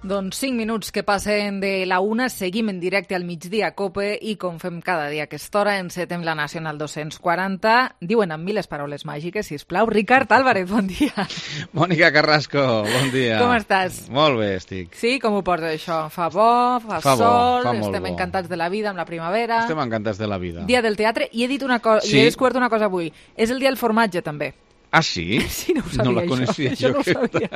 Doncs 5 minuts que passen de la 1, seguim en directe al migdia a COPE i com fem cada dia a aquesta hora encetem la Nacional 240. Diuen amb miles paraules màgiques, sisplau. Ricard Álvarez, bon dia. Mònica Carrasco, bon dia. Com estàs? Molt bé, estic. Sí, com ho portes això? Fa bo, fa sol, estem encantats de la vida amb la primavera. Estem encantats de la vida. Dia del teatre, i he dit una cosa, i he descobert una cosa avui. És el dia del formatge, també. Ah, sí? Sí, no ho sabia, no la coneixia, això no ho sabia.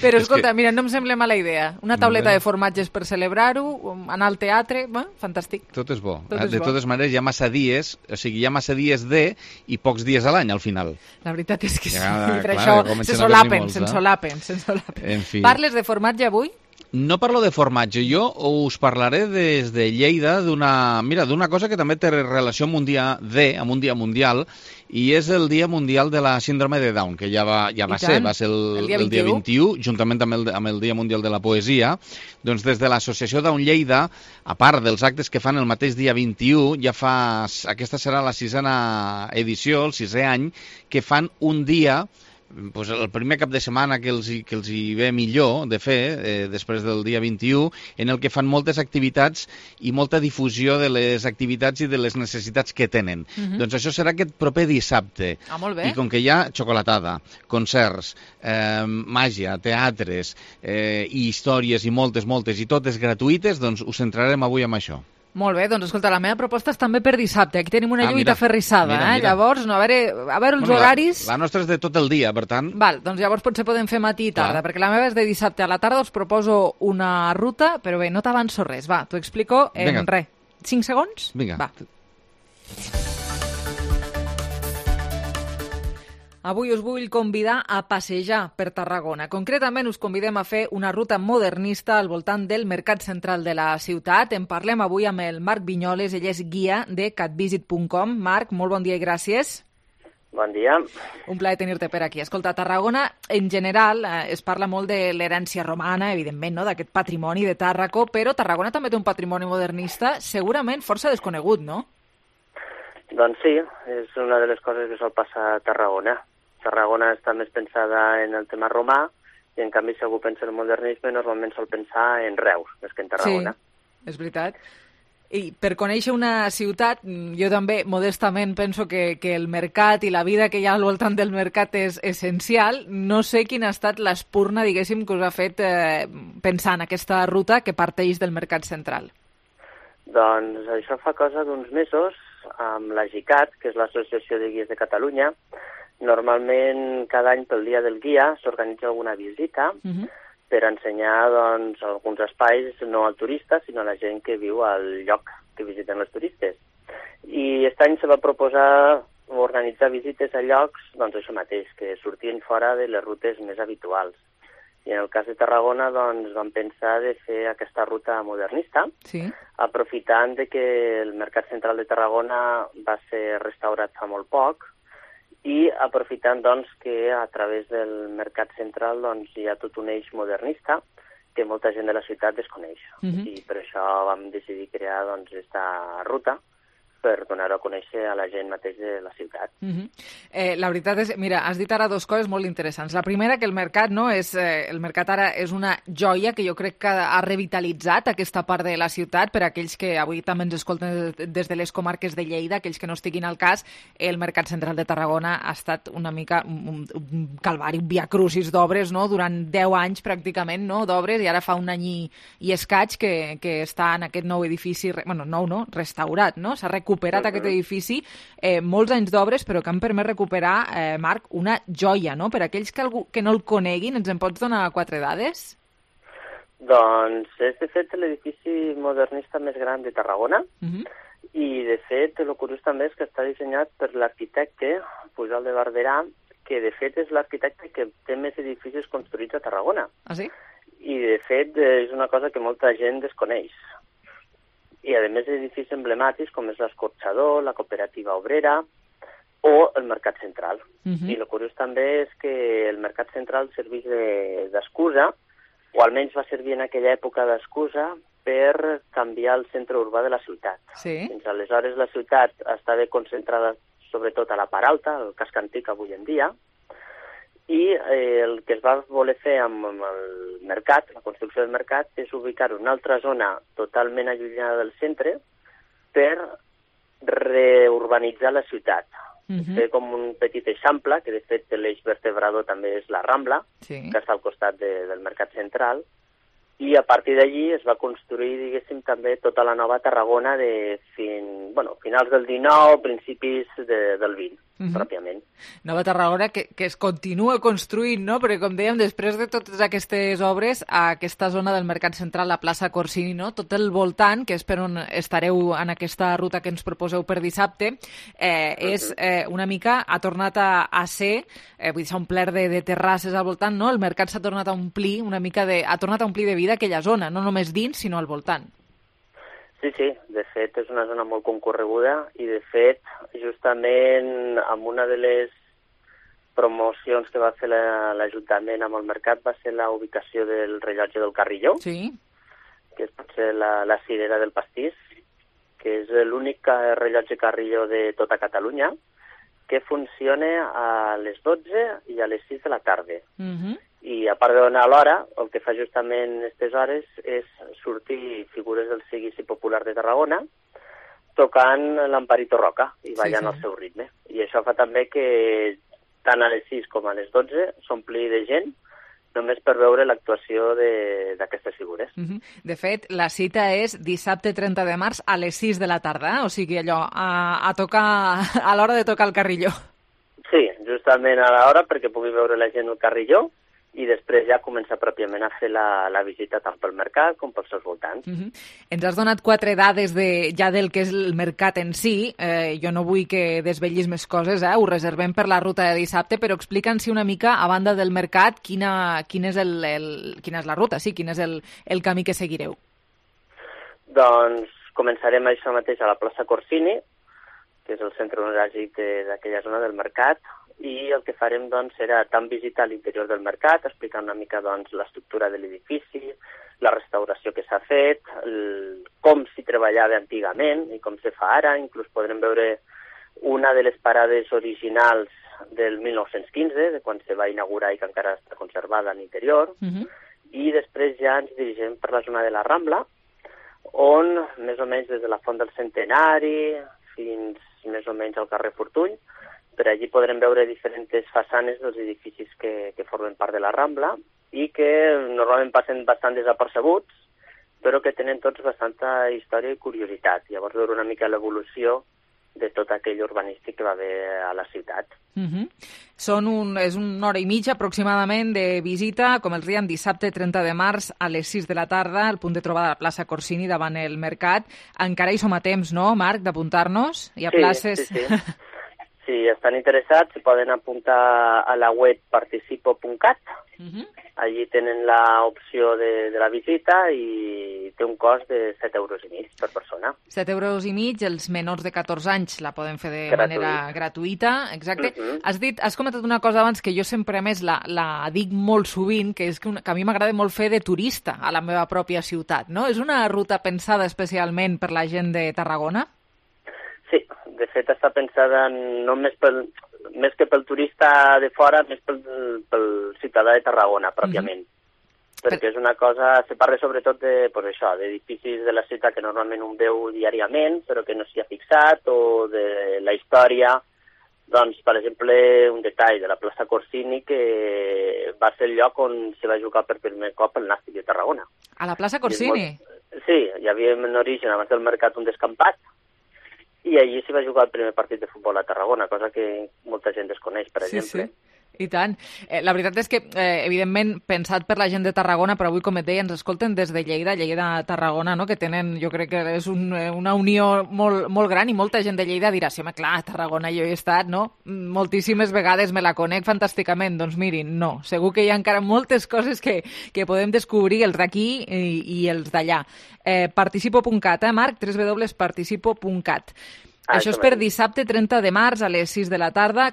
Però escolta, mira, no em sembla mala idea. Una tauleta de formatges per celebrar-ho, anar al teatre, fantàstic. Tot és bo. De totes maneres, hi ha massa dies, hi ha massa dies i pocs dies a l'any, al final. La veritat és que sí, per clar, això s'ensolapen. En fi. Parles de formatge avui? No parlo de formatge, jo us parlaré des de Lleida d'una cosa que també té relació amb un dia mundial, i és el Dia Mundial de la Síndrome de Down, que ja va ser el dia 21, juntament amb el Dia Mundial de la Poesia. Doncs des de l'Associació Down Lleida, a part dels actes que fan el mateix dia 21, aquesta serà la 6a edició, el 6è any, que fan un dia, el primer cap de setmana que els hi ve millor de fer, després del dia 21, en el que fan moltes activitats i molta difusió de les activitats i de les necessitats que tenen. Doncs això serà aquest proper dissabte. Molt bé. I com que hi ha xocolatada, concerts, màgia, teatres, i històries i moltes, i totes gratuïtes, doncs us centrarem avui en això. Molt bé, doncs escolta, la meva proposta és també per dissabte. Aquí tenim una lluita ferrissada, mira. Llavors, a veure els horaris... La nostra és de tot el dia, per tant... Val, doncs llavors potser podem fer matí i tarda, perquè la meva és de dissabte a la tarda, us proposo una ruta, però bé, no t'avanço res. Va, t'ho explico en 5 segons? Vinga. Va. Avui us vull convidar a passejar per Tarragona. Concretament us convidem a fer una ruta modernista al voltant del mercat central de la ciutat. En parlem avui amb el Marc Vinyoles, ell és guia de catvisit.com. Marc, molt bon dia i gràcies. Bon dia. Un plaer tenir-te per aquí. Escolta, Tarragona, en general, es parla molt de l'herència romana, evidentment, no?, d'aquest patrimoni de Tàrraco, però Tarragona també té un patrimoni modernista segurament força desconegut, no? Doncs sí, és una de les coses que sol passar a Tarragona. Tarragona està més pensada en el tema romà i, en canvi, si algú pensa en el modernisme, normalment sol pensar en Reus, més que en Tarragona. Sí, és veritat. I per conèixer una ciutat, jo també, modestament, penso que el mercat i la vida que hi ha al voltant del mercat és essencial. No sé quina ha estat l'espurna, diguéssim, que us ha fet pensar en aquesta ruta que parteix del mercat central. Doncs això fa cosa d'uns mesos, amb la GICAT, que és l'Associació de Guies de Catalunya. Normalment, cada any pel Dia del Guia s'organitza alguna visita per ensenyar alguns espais no al turista, sinó a la gent que viu al lloc que visiten els turistes. I aquest any se va proposar organitzar visites a llocs, doncs això mateix, que sortien fora de les rutes més habituals. I en el cas de Tarragona, doncs, vam pensar de fer aquesta ruta modernista, aprofitant de que el Mercat Central de Tarragona va ser restaurat fa molt poc, i aprofitant doncs, que a través del Mercat Central doncs, hi ha tot un eix modernista que molta gent de la ciutat desconeix. I per això vam decidir crear aquesta ruta per donar-ho a conèixer a la gent mateix de la ciutat. La veritat és, mira, has dit ara dues coses molt interessants. La primera, que el mercat el mercat ara és una joia que jo crec que ha revitalitzat aquesta part de la ciutat. Per a aquells que avui també ens escolten des de les comarques de Lleida, aquells que no estiguin al cas, el Mercat Central de Tarragona ha estat una mica un calvari, un viacrucis d'obres, no?, durant 10 anys pràcticament, no?, d'obres, i ara fa un any i escaig que està en aquest nou edifici, restaurat, no?, s'ha recuperat aquest edifici, molts anys d'obres, però que han permès recuperar, Marc, una joia, no? Per aquells que no el coneguin, ens en pots donar 4 dades? Doncs és, de fet, l'edifici modernista més gran de Tarragona, i, de fet, el curiós també és que està dissenyat per l'arquitecte Pujol de Barberà, que, de fet, és l'arquitecte que té més edificis construïts a Tarragona. Ah, sí? I, de fet, és una cosa que molta gent desconeix. I, a més, edificis emblemàtics com és l'Escorxador, la Cooperativa Obrera o el Mercat Central. I el curiós també és que el Mercat Central serveix d'excusa, o almenys va servir en aquella època d'excusa, per canviar el centre urbà de la ciutat. Fins aleshores la ciutat estava concentrada sobretot a la part alta, el casc antic avui en dia, i el que es va voler fer amb el mercat, la construcció del mercat, és ubicar una altra zona totalment allunyada del centre per reurbanitzar la ciutat. Fer com un petit eixample, que de fet l'eix vertebrador també és la Rambla, que està al costat del mercat central, i a partir d'allí es va construir, diguéssim, també tota la nova Tarragona de finals del 19, principis del 20, pròpiament. Nova Tarragona que es continua construint, no? Perquè, com dèiem, després de totes aquestes obres, a aquesta zona del Mercat Central, la plaça Corsini, no? Tot el voltant, que és per on estareu en aquesta ruta que ens proposeu per dissabte, és una mica, ha tornat a ser, vull dir, s'ha omplert de terrasses al voltant, no? El mercat s'ha tornat a omplir una mica ha tornat a omplir de vida aquella zona, no només dins, sinó al voltant. Sí, de fet és una zona molt concorreguda i de fet justament amb una de les promocions que va fer l'Ajuntament amb el mercat va ser la ubicació del rellotge del Carrilló, que és potser la cirera del pastís, que és l'únic rellotge Carrilló de tota Catalunya que funciona a les 12 i a les 6 de la tarda. I a part de donar l'hora, el que fa justament en aquestes hores és sortir figures del seguici popular de Tarragona tocant l'Amparito Roca i ballant al seu ritme. I això fa també que tant a les 6 com a les 12 s'ompli de gent només per veure l'actuació d'aquestes figures. De fet, la cita és dissabte 30 de març a les 6 de la tarda, o sigui allò, a l'hora de tocar el Carrilló. Sí, justament a l'hora perquè pugui veure la gent el Carrilló i després ja començar pròpiament a fer la visita tant pel mercat com pels seus voltants. Ens has donat 4 dades ja del que és el mercat en si. Jo no vull que desvetllis més coses, ho reservem per la ruta de dissabte, però explica'ns una mica, a banda del mercat, quina és la ruta, quin és el camí que seguireu. Doncs començarem això mateix a la plaça Corsini, que és el centre neuràlgic d'aquella zona del mercat, i el que farem doncs, serà tant visitar l'interior del mercat, explicar una mica doncs, l'estructura de l'edifici, la restauració que s'ha fet, com s'hi treballava antigament i com se fa ara. Inclús podrem veure una de les parades originals del 1915, de quan se va inaugurar i que encara està conservada a l'interior, i després ja ens dirigim per la zona de la Rambla, on més o menys des de la Font del Centenari fins més o menys al carrer Fortuny, per allí podrem veure diferents façanes dels edificis que formen part de la Rambla i que normalment passen bastant desapercebuts, però que tenen tots bastanta història i curiositat. Llavors veure una mica l'evolució de tot aquell urbanístic que va haver a la ciutat. És una hora i mitja aproximadament de visita, com els dèiem, dissabte 30 de març a les 6 de la tarda, al punt de trobada de la plaça Corsini davant el mercat. Encara hi som a temps, no, Marc, d'apuntar-nos? Hi ha places? Sí. Si estan interessats, s'hi poden apuntar a la web participo.cat. Allí tenen l'opció de la visita i té un cost de 7,5 € per persona. 7,5 €, els menors de 14 anys la poden fer de manera gratuïta. Exacte. Has comentat una cosa abans que jo sempre, a més, la dic molt sovint, que és que a mi m'agrada molt fer de turista a la meva pròpia ciutat, no? És una ruta pensada especialment per la gent de Tarragona? Sí, de fet està pensada només més que pel turista de fora, més pel ciutadà de Tarragona, pròpiament. Perquè és una cosa, se parla sobretot d'edificis de la ciutat que normalment un veu diàriament, però que no s'hi ha fixat, o de la història. Doncs, per exemple, un detall de la plaça Corsini, que va ser el lloc on se va jugar per primer cop el Nàstic de Tarragona. A la plaça Corsini? Sí, hi havia en origen, abans del mercat, un descampat, i allí s'hi va jugar el primer partit de futbol a Tarragona, cosa que molta gent desconeix, per exemple. Sí. I tant. La veritat és que, evidentment, pensat per la gent de Tarragona, però avui, com et deia, ens escolten des de Lleida-Tarragona, no? Que tenen, jo crec que és una unió molt gran, i molta gent de Lleida dirà, sí, home, clar, a Tarragona jo he estat, no? Moltíssimes vegades me la conec fantàsticament. Doncs mirin, no. Segur que hi ha encara moltes coses que podem descobrir, els d'aquí i els d'allà. Participo.cat, Marc? www.participo.cat. Això és per dissabte 30 de març a les 6 de la tarda.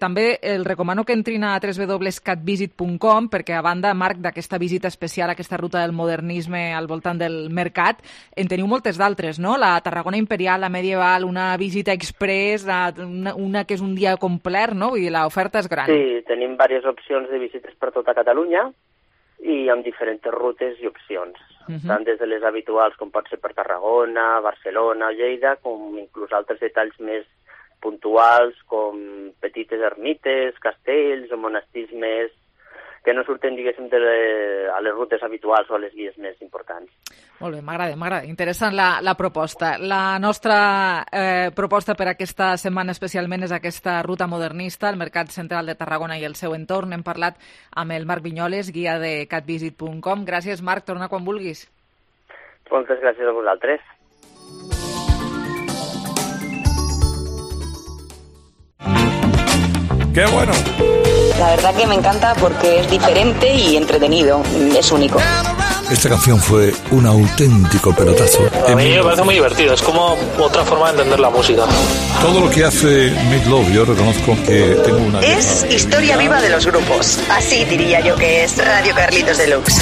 També el recomano que entrin a www.catvisit.com perquè, a banda, Marc, d'aquesta visita especial, aquesta ruta del modernisme al voltant del mercat, en teniu moltes d'altres, no? La Tarragona Imperial, la Medieval, una visita express, una que és un dia complet, no? Vull dir, l'oferta és gran. Sí, tenim diverses opcions de visites per tota Catalunya i amb diferents rutes i opcions. Tant des de les habituals, com pot ser per Tarragona, Barcelona, Lleida, com inclús altres detalls més puntuals, com petites ermites, castells o monestirs més que no surten, diguéssim, a les rutes habituals o a les vies més importants. Molt bé, m'agrada. Interessant la proposta. La nostra proposta per aquesta setmana especialment és aquesta ruta modernista al Mercat Central de Tarragona i el seu entorn. Hem parlat amb el Marc Viñoles, guia de catvisit.com. Gràcies, Marc. Torna quan vulguis. Moltes gràcies a vosaltres. ¡Qué bueno! La verdad que me encanta porque es diferente y entretenido. Es único. Esta canción fue un auténtico pelotazo. A mí me parece muy divertido, es como otra forma de entender la música. Todo lo que hace Meat Loaf, yo reconozco que tengo una... Es historia viva de los grupos. Así diría yo que es Radio Carlitos Deluxe.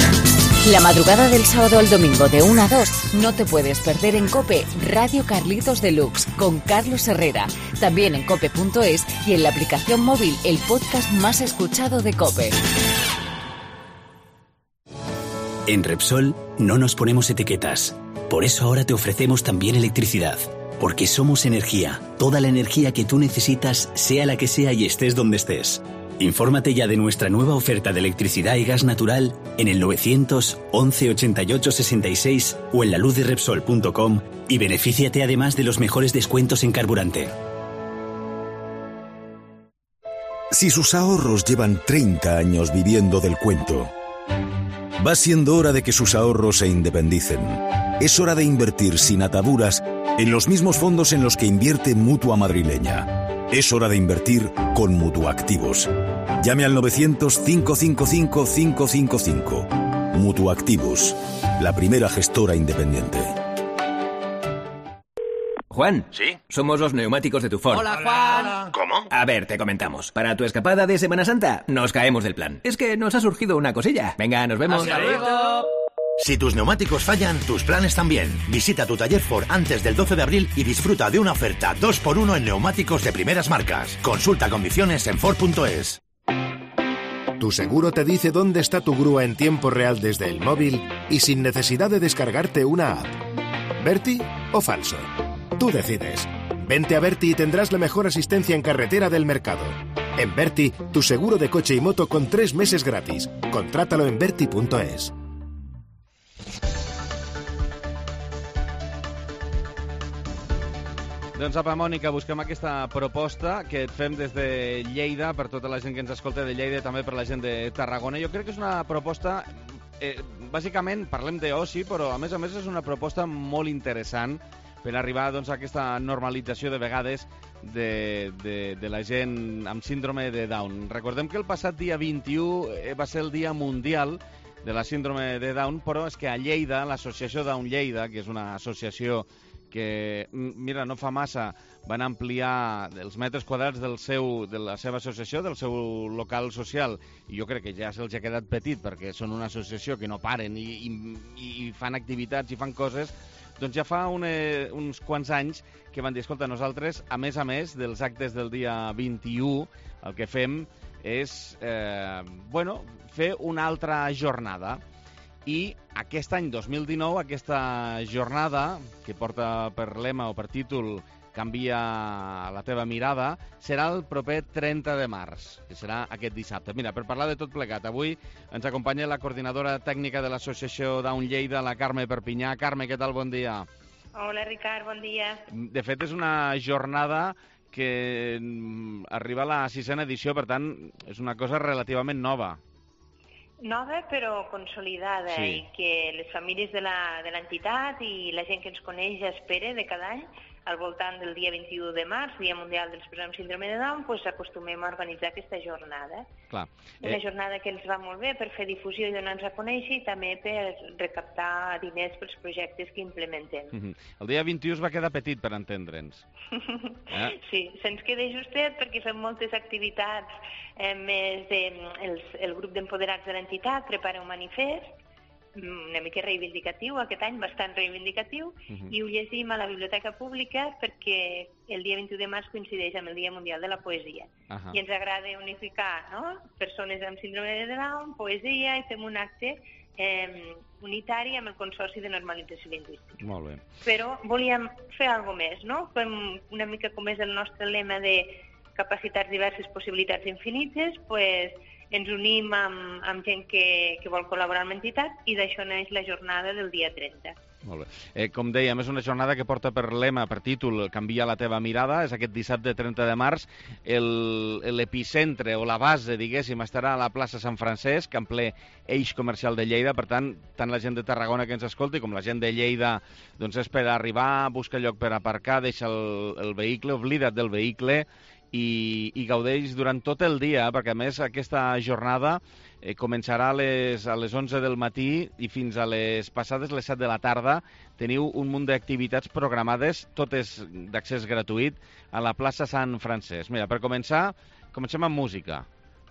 La madrugada del sábado al domingo de 1 a 2 no te puedes perder en COPE Radio Carlitos Deluxe con Carlos Herrera. También en cope.es y en la aplicación móvil, el podcast más escuchado de COPE. En Repsol no nos ponemos etiquetas. Por eso ahora te ofrecemos también electricidad. Porque somos energía. Toda la energía que tú necesitas, sea la que sea y estés donde estés. Infórmate ya de nuestra nueva oferta de electricidad y gas natural en el 911 88 66 o en laluzderepsol.com y benefíciate además de los mejores descuentos en carburante. Si sus ahorros llevan 30 años viviendo del cuento, va siendo hora de que sus ahorros se independicen. Es hora de invertir sin ataduras en los mismos fondos en los que invierte Mutua Madrileña. Es hora de invertir con Mutuactivos. Llame al 900-555-555. Mutuactivos, la primera gestora independiente. Juan. ¿Sí? Somos los neumáticos de tu Ford. Hola, Juan. ¿Cómo? A ver, te comentamos. Para tu escapada de Semana Santa, nos caemos del plan. Es que nos ha surgido una cosilla. Venga, nos vemos. ¡Hasta luego! Si tus neumáticos fallan, tus planes también. Visita tu taller Ford antes del 12 de abril y disfruta de una oferta 2x1 en neumáticos de primeras marcas. Consulta condiciones en Ford.es. Tu seguro te dice dónde está tu grúa en tiempo real desde el móvil y sin necesidad de descargarte una app. ¿Berti o falso? Tú decides. Vente a Berti y tendrás la mejor asistencia en carretera del mercado. En Berti, tu seguro de coche y moto con 3 meses gratis. Contrátalo en Berti.es. Doncs apa, Mònica, busquem aquesta proposta que et fem des de Lleida, per tota la gent que ens escolta de Lleida i també per la gent de Tarragona. Jo crec que és una proposta, bàsicament parlem d'oci, però a més és una proposta molt interessant per arribar doncs, a aquesta normalització de vegades de la gent amb síndrome de Down. Recordem que el passat dia 21 va ser el Dia Mundial de la Síndrome de Down, però és que a Lleida, l'associació Down Lleida, que és una associació que, mira, no fa massa van ampliar els metres quadrats de la seva associació, del seu local social, i jo crec que ja se'ls ha quedat petit perquè són una associació que no paren i fan activitats i fan coses, doncs ja fa uns quants anys que van dir, escolta, nosaltres, a més dels actes del dia 21, el que fem és fer una altra jornada. I aquest any 2019, aquesta jornada, que porta per lema o per títol Canvia la teva mirada, serà el proper 30 de març, que serà aquest dissabte. Mira, per parlar de tot plegat, avui ens acompanya la coordinadora tècnica de l'associació Down Lleida, la Carme Perpinyà. Carme, què tal? Bon dia. Hola, Ricard, bon dia. De fet, és una jornada que arriba a la 6ª edició, per tant, és una cosa relativament nova. Nova però consolidada, sí. I que les famílies de l'entitat i la gent que ens coneix ja espera de cada any al voltant del dia 21 de març, Dia Mundial de les Persones amb Síndrome de Down, doncs acostumem a organitzar aquesta jornada. Clar. Una jornada que ens va molt bé per fer difusió i donar-nos a conèixer i també per recaptar diners pels projectes que implementem. El dia 21 es va quedar petit, per entendre'ns. Sí, se'ns queda justet perquè fem moltes activitats, més el grup d'empoderats de l'entitat prepara un manifest, una mica reivindicatiu, aquest any bastant reivindicatiu, i ho llegim a la Biblioteca Pública perquè el dia 21 de març coincideix amb el Dia Mundial de la Poesia. I ens agrada unificar, no?, persones amb síndrome de Down, poesia, i fem un acte unitari amb el Consorci de Normalització Lingüística. Molt bé. Però volíem fer alguna més, no? Fem una mica com és el nostre lema de capacitats diverses, possibilitats infinites, doncs ens unim amb gent que vol col·laborar amb l'entitat i d'això neix la jornada del dia 30. Molt bé. Com dèiem, és una jornada que porta per lema, per títol, Canvia la teva mirada. És aquest dissabte 30 de març. L'epicentre o la base, diguéssim, estarà a la plaça Sant Francesc, en ple eix comercial de Lleida. Per tant la gent de Tarragona que ens escolti com la gent de Lleida, doncs és per arribar, buscar lloc per aparcar, deixa el vehicle, oblida't del vehicle, i gaudeix durant tot el dia, perquè a més aquesta jornada començarà a les 11 del matí i fins a les passades les 7 de la tarda. Teniu un munt d'activitats programades, totes d'accés gratuït, a la plaça Sant Francesc. Mira, per començar, comencem amb música.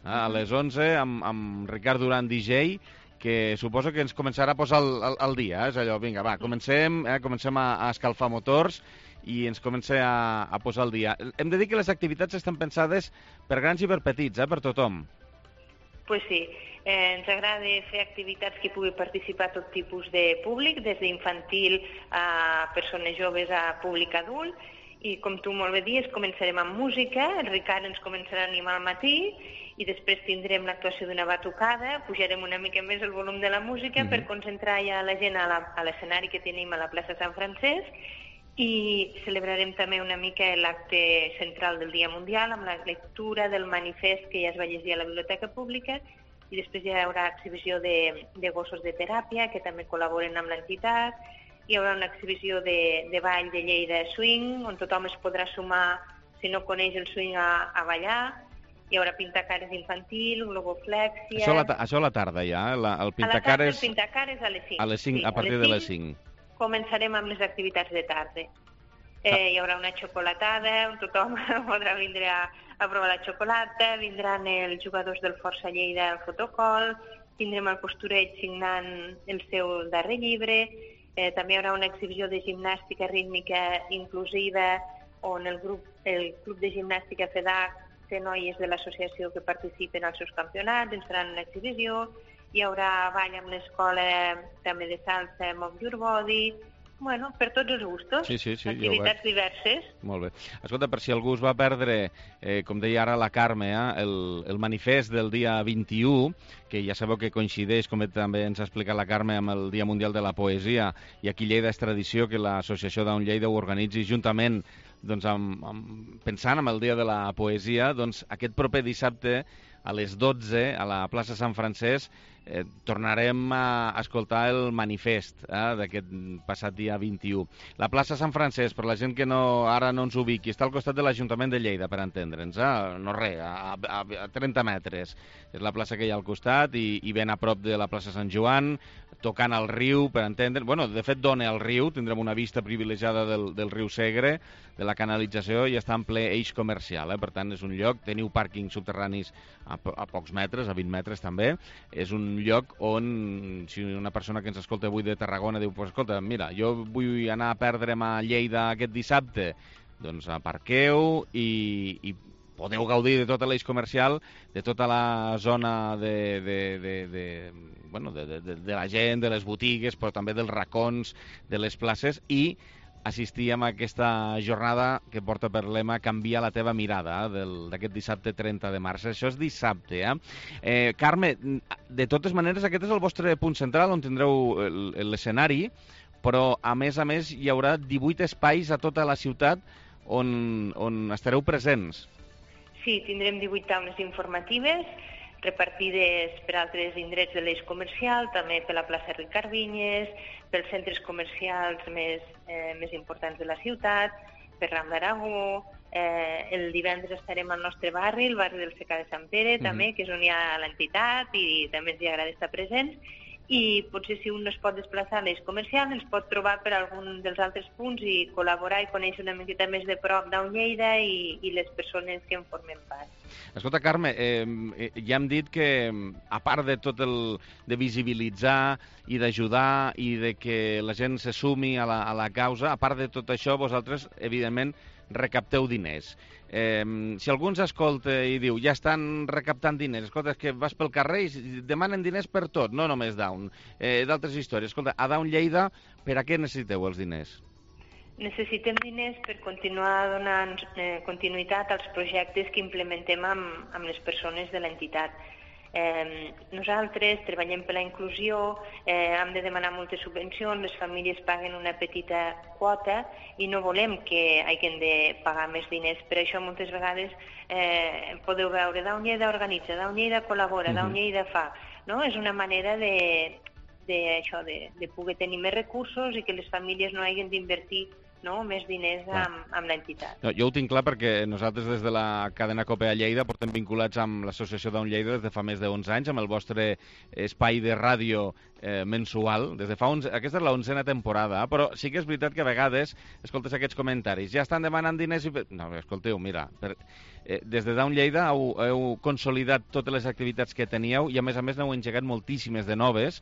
A les 11 amb Ricard Duran, DJ, que suposo que ens començarà a posar al dia. És allò, vinga, va, comencem a escalfar motors i ens comença a posar al dia. Hem de dir que les activitats estan pensades per grans i per petits, per tothom. Pues sí, ens agrada fer activitats que pugui participar tot tipus de públic, des d'infantil a persones joves a públic adult, i com tu molt bé dius, començarem amb música, el Ricard ens començarà a animar al matí, i després tindrem l'actuació d'una batucada, pujarem una mica més el volum de la música per concentrar ja la gent a l'escenari que tenim a la plaça Sant Francesc, i celebrarem també una mica l'acte central del Dia Mundial amb la lectura del manifest que ja es va llegir a la Biblioteca Pública, i després hi haurà exhibició de gossos de teràpia que també col·laboren amb l'entitat, hi haurà una exhibició de ball de Lleida Swing on tothom es podrà sumar, si no coneix el swing, a ballar. Hi haurà pintacares infantil, globoflèxia... Això a la tarda ja, el pintacares... El pintacares a les 5. A les 5, a partir de les 5. Començarem amb les activitats de tarda. Hi haurà una xocolatada, on tothom podrà vindre a provar la xocolata, vindran els jugadors del Força Lleida al fotocol, tindrem el Postureig signant el seu darrer llibre, també hi haurà una exhibició de gimnàstica rítmica inclusiva on el Club de Gimnàstica FEDAC té noies de l'associació que participen als seus campionats, ens faran una exhibició, hi haurà ball amb l'escola també de salsa Move Your Body, bueno, per tots els gustos, activitats diverses. Molt bé. Escolta, per si algú es va perdre, com deia ara la Carme, el manifest del dia 21, que ja sabeu que coincideix, com també ens ha explicat la Carme, amb el Dia Mundial de la Poesia, i aquí Lleida és tradició que l'associació Down Lleida ho organitzi juntament, doncs, pensant en el Dia de la Poesia, doncs aquest proper dissabte a les 12 a la plaça Sant Francesc tornarem a escoltar el manifest d'aquest passat dia 21. La plaça Sant Francesc, per la gent que ara no ens ubiqui, està al costat de l'Ajuntament de Lleida, per entendre'ns, no res, a 30 metres. És la plaça que hi ha al costat i ben a prop de la plaça Sant Joan, tocant al riu, per entendre... Bueno, de fet, dona al riu, tindrem una vista privilegiada del riu Segre, de la canalització, i està en ple eix comercial, per tant, és un lloc, teniu pàrquings subterranis a pocs metres, a 20 metres també, és un lloc on, si una persona que ens escolta avui de Tarragona diu, pues, escolta, mira, jo vull anar a perdre'm a Lleida aquest dissabte, doncs aparqueu i podeu gaudir de tot l'eix comercial, de tota la zona de la gent, de les botigues, però també dels racons, de les places, i assistir a aquesta jornada que porta per lema Canvia la teva mirada, d'aquest dissabte 30 de març. Això és dissabte, Carme, de totes maneres, aquest és el vostre punt central, on tindreu l'escenari, però a més hi haurà 18 espais a tota la ciutat on estareu presents. Sí, tindrem 18 taules informatives repartides per altres indrets de l'eix comercial, també per la plaça Ricard Vinyes, pels centres comercials més importants de la ciutat. per Ram d'Aragó, el divendres estarem al nostre barri, el barri del Secà de Sant Pere, també, que és on hi ha l'entitat i també ens hi agrada estar presents. I potser si un no es pot desplaçar a l'eix comercial, ens pot trobar per algun dels altres punts i col·laborar i conèixer una miqueta més de prop d'On Lleida i les persones que en formen part. Escolta, Carme, ja hem dit que, a part de tot de visibilitzar i d'ajudar i de que la gent se sumi a la causa, a part de tot això, vosaltres, evidentment, recapteu diners. Si algú ens escolta i diu ja estan recaptant diners, escolta, és que vas pel carrer i demanen diners per tot, no només Down, d'altres històries. Escolta, a Down Lleida, per a què necessiteu els diners? Necessitem diners per continuar donant continuïtat als projectes que implementem amb les persones de l'entitat. Nosaltres treballem per la inclusió, hem de demanar moltes subvencions, les famílies paguen una petita quota i no volem que hagin de pagar més diners. Per això moltes vegades podeu veure Down Lleida organitza, Down Lleida col·labora, Down Lleida fa. És una manera de poder tenir més recursos i que les famílies no hagin d'invertir més diners amb l'entitat. Jo ho tinc clar perquè nosaltres des de la cadena COPE a Lleida portem vinculats amb l'associació Down Lleida des de fa més de 11 anys, amb el vostre espai de ràdio mensual. Aquesta és la 11a temporada, però sí que és veritat que a vegades escoltes aquests comentaris. Ja estan demanant diners i... No, escolteu, mira, des de Down Lleida heu consolidat totes les activitats que teníeu i a més n'heu engegat moltíssimes de noves.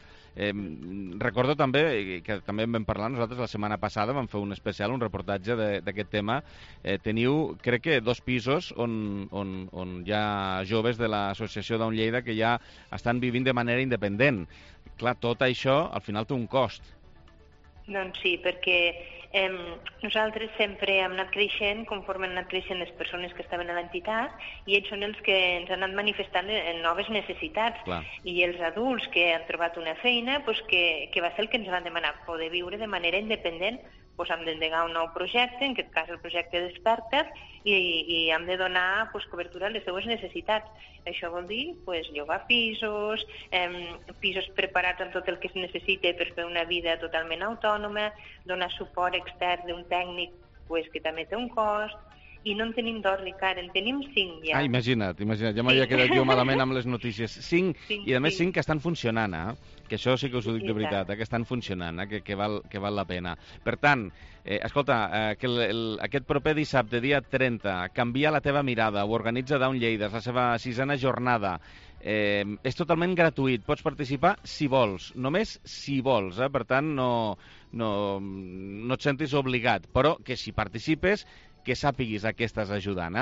Recordo també, que també en vam parlar nosaltres la setmana passada, vam fer un especial, un reportatge d'aquest tema. Teniu, crec que 2 pisos on hi ha joves de l'associació Down Lleida que ja estan vivint de manera independent. Clar, tot això al final té un cost. Doncs sí, perquè nosaltres sempre hem anat creixent conforme han anat creixent les persones que estaven a l'entitat i ells són els que ens han anat manifestant noves necessitats. Clar. I els adults que han trobat una feina, que va ser el que ens van demanar, poder viure de manera independent, hem d'endegar un nou projecte, en aquest cas el projecte Desperta't, i hem de donar cobertura a les seues necessitats. Això vol dir llogar pisos, pisos preparats amb tot el que es necessita per fer una vida totalment autònoma, donar suport extern d'un tècnic que també té un cost, i no en tenim 2, Ricard, en tenim 5 ja. Imagina't, ja m'havia quedat jo malament amb les notícies. 5, i a més 5 que estan funcionant, que això sí que us ho dic de veritat, que estan funcionant, que val la pena. Per tant, escolta, que aquest proper dissabte, dia 30, Canvia la teva mirada, ho organitza Down Lleida, és la seva 6a jornada. És totalment gratuït, pots participar si vols, només si vols, per tant no et sentis obligat, però que si participes que sàpiguis a què estàs ajudant.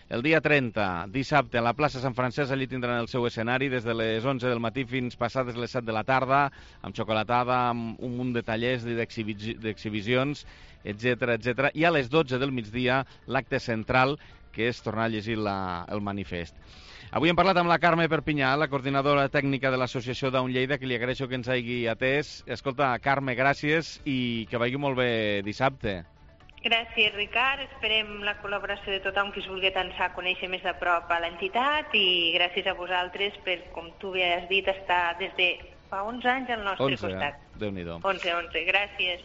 El dia 30, dissabte, a la plaça Sant Francesc, allí tindran el seu escenari des de les 11 del matí fins passades les 7 de la tarda, amb xocolatada, amb un munt de tallers i d'exhibicions, etc. I a les 12 del migdia, l'acte central, que és tornar a llegir el manifest. Avui hem parlat amb la Carme Perpinyà, la coordinadora tècnica de l'associació Down Lleida, que li agraeixo que ens hagi atès. Escolta, Carme, gràcies i que vagi molt bé dissabte. Gràcies, Ricard. Esperem la col·laboració de tothom que es vulgui atançar a conèixer més a prop a l'entitat i gràcies a vosaltres per, com tu bé has dit, estar des de fa 11 anys al nostre costat. Déu-n'hi-do. 11, gràcies.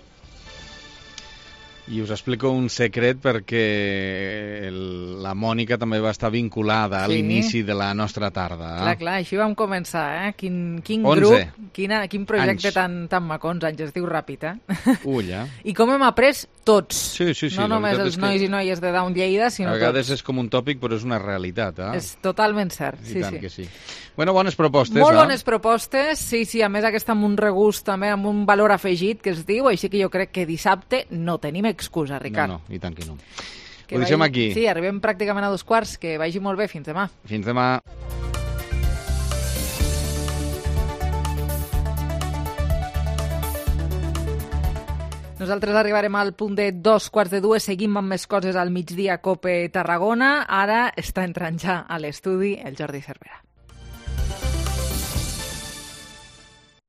I us explico un secret perquè la Mònica també va estar vinculada a l'inici de la nostra tarda. Clar, així vam començar, Quin grup, quin projecte tan maco, 11 anys, es diu ràpid, Ulla. I com hem après tots, sí, no només els nois i noies de Down Lleida, sinó tots. A vegades és com un tòpic, però és una realitat, És totalment cert, I tant que sí. Bueno, bones propostes, Molt bones propostes, sí, a més aquesta amb un regust també, amb un valor afegit que es diu, així que jo crec que dissabte no tenim excusa, Ricard. No, i tant que no. Ho deixem aquí. Sí, arribem pràcticament a 2:15, que vagi molt bé, fins demà. Fins demà. Nosaltres arribarem al punt de 2:15, seguim amb més coses al migdia COPE Tarragona. Ara està entrant ja a l'estudi el Jordi Cervera.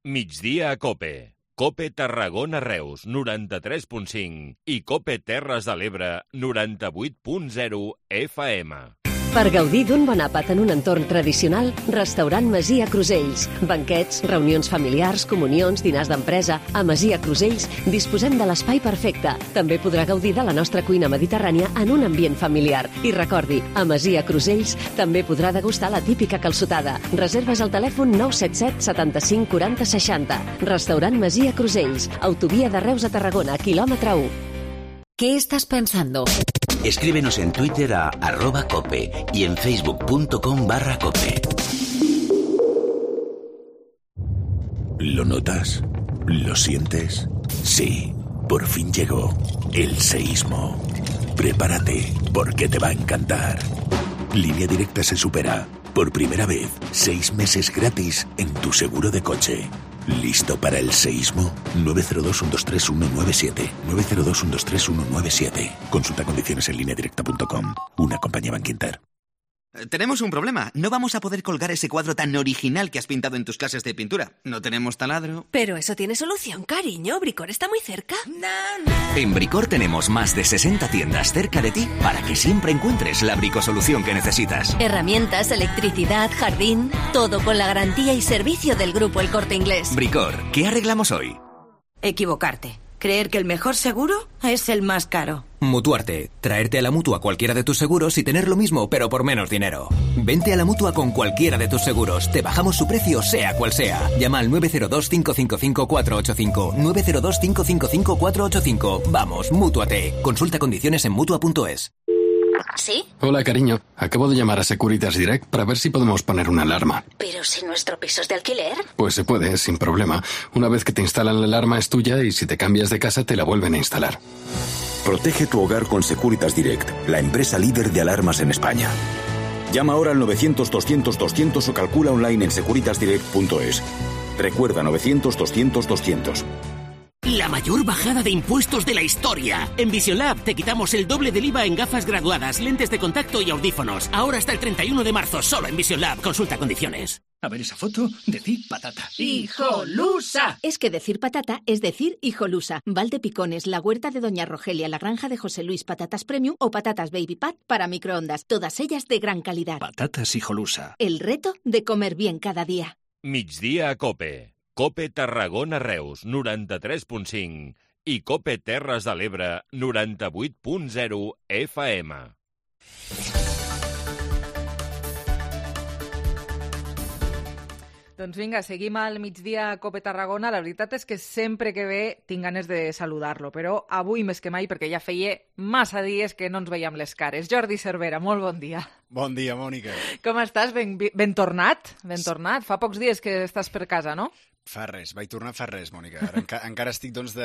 Migdia a COPE. COPE Tarragona Reus, 93.5 i COPE Terres de l'Ebre, 98.0 FM. Per gaudir d'un bon àpat en un entorn tradicional, Restaurant Masia Crusells. Banquets, reunions familiars, comunions, dinars d'empresa. A Masia Crusells disposem de l'espai perfecte. També podrà gaudir de la nostra cuina mediterrània en un ambient familiar. I recordi, a Masia Crusells també podrà degustar la típica calçotada. Reserves al telèfon 977 75 40 60. Restaurant Masia Crusells. Autovia de Reus a Tarragona, quilòmetre 1. ¿Qué estás pensando? Escríbenos en Twitter a @cope y en facebook.com/cope. ¿Lo notas? ¿Lo sientes? Sí, por fin llegó el seísmo. Prepárate, porque te va a encantar. Línea Directa se supera. Por primera vez, 6 meses gratis en tu seguro de coche. ¿Listo para el seísmo? 902-123-197. 902-123-197. Consulta condiciones en lineadirecta.com. Una compañía Bankinter. Tenemos un problema. No vamos a poder colgar ese cuadro tan original que has pintado en tus clases de pintura. No tenemos taladro. Pero eso tiene solución, cariño. Bricor está muy cerca. En Bricor tenemos más de 60 tiendas cerca de ti para que siempre encuentres la bricosolución que necesitas. Herramientas, electricidad, jardín, todo con la garantía y servicio del Grupo El Corte Inglés. Bricor, ¿qué arreglamos hoy? Equivocarte. Creer que el mejor seguro es el más caro. Mutuarte. Traerte a la Mutua cualquiera de tus seguros y tener lo mismo, pero por menos dinero. Vente a la Mutua con cualquiera de tus seguros. Te bajamos su precio, sea cual sea. Llama al 902-555-485. 902-555-485. Vamos, Mútuate. Consulta condiciones en Mutua.es. ¿Sí? Hola, cariño. Acabo de llamar a Securitas Direct para ver si podemos poner una alarma. Pero si nuestro piso es de alquiler. Pues se puede, sin problema. Una vez que te instalan la alarma es tuya y si te cambias de casa te la vuelven a instalar. Protege tu hogar con Securitas Direct, la empresa líder de alarmas en España. Llama ahora al 900-200-200 o calcula online en securitasdirect.es. Recuerda 900-200-200. La mayor bajada de impuestos de la historia. En Vision Lab te quitamos el doble del IVA en gafas graduadas, lentes de contacto y audífonos. Ahora hasta el 31 de marzo, solo en Vision Lab. Consulta condiciones. A ver esa foto, decir patata. ¡Hijolusa! Es que decir patata es decir hijolusa. Valdepicones, la huerta de Doña Rogelia, la granja de José Luis, patatas premium o patatas baby pat para microondas. Todas ellas de gran calidad. Patatas hijolusa. El reto de comer bien cada día. Migdia a Cope. Cope Tarragona Reus, 93.5 i Cope Terres de l'Ebre, 98.0 FM. Doncs vinga, seguim al migdia a Cope Tarragona. La veritat és que sempre que ve tinc ganes de saludar-lo, però avui més que mai, perquè ja feia massa dies que no ens veiem les cares. Jordi Cervera, molt bon dia. Bon dia, Mònica. Com estàs? Ben tornat? Ben tornat? Fa pocs dies que estàs per casa, no? Fa res, vaig tornar fa res, Mònica. Encara estic, doncs,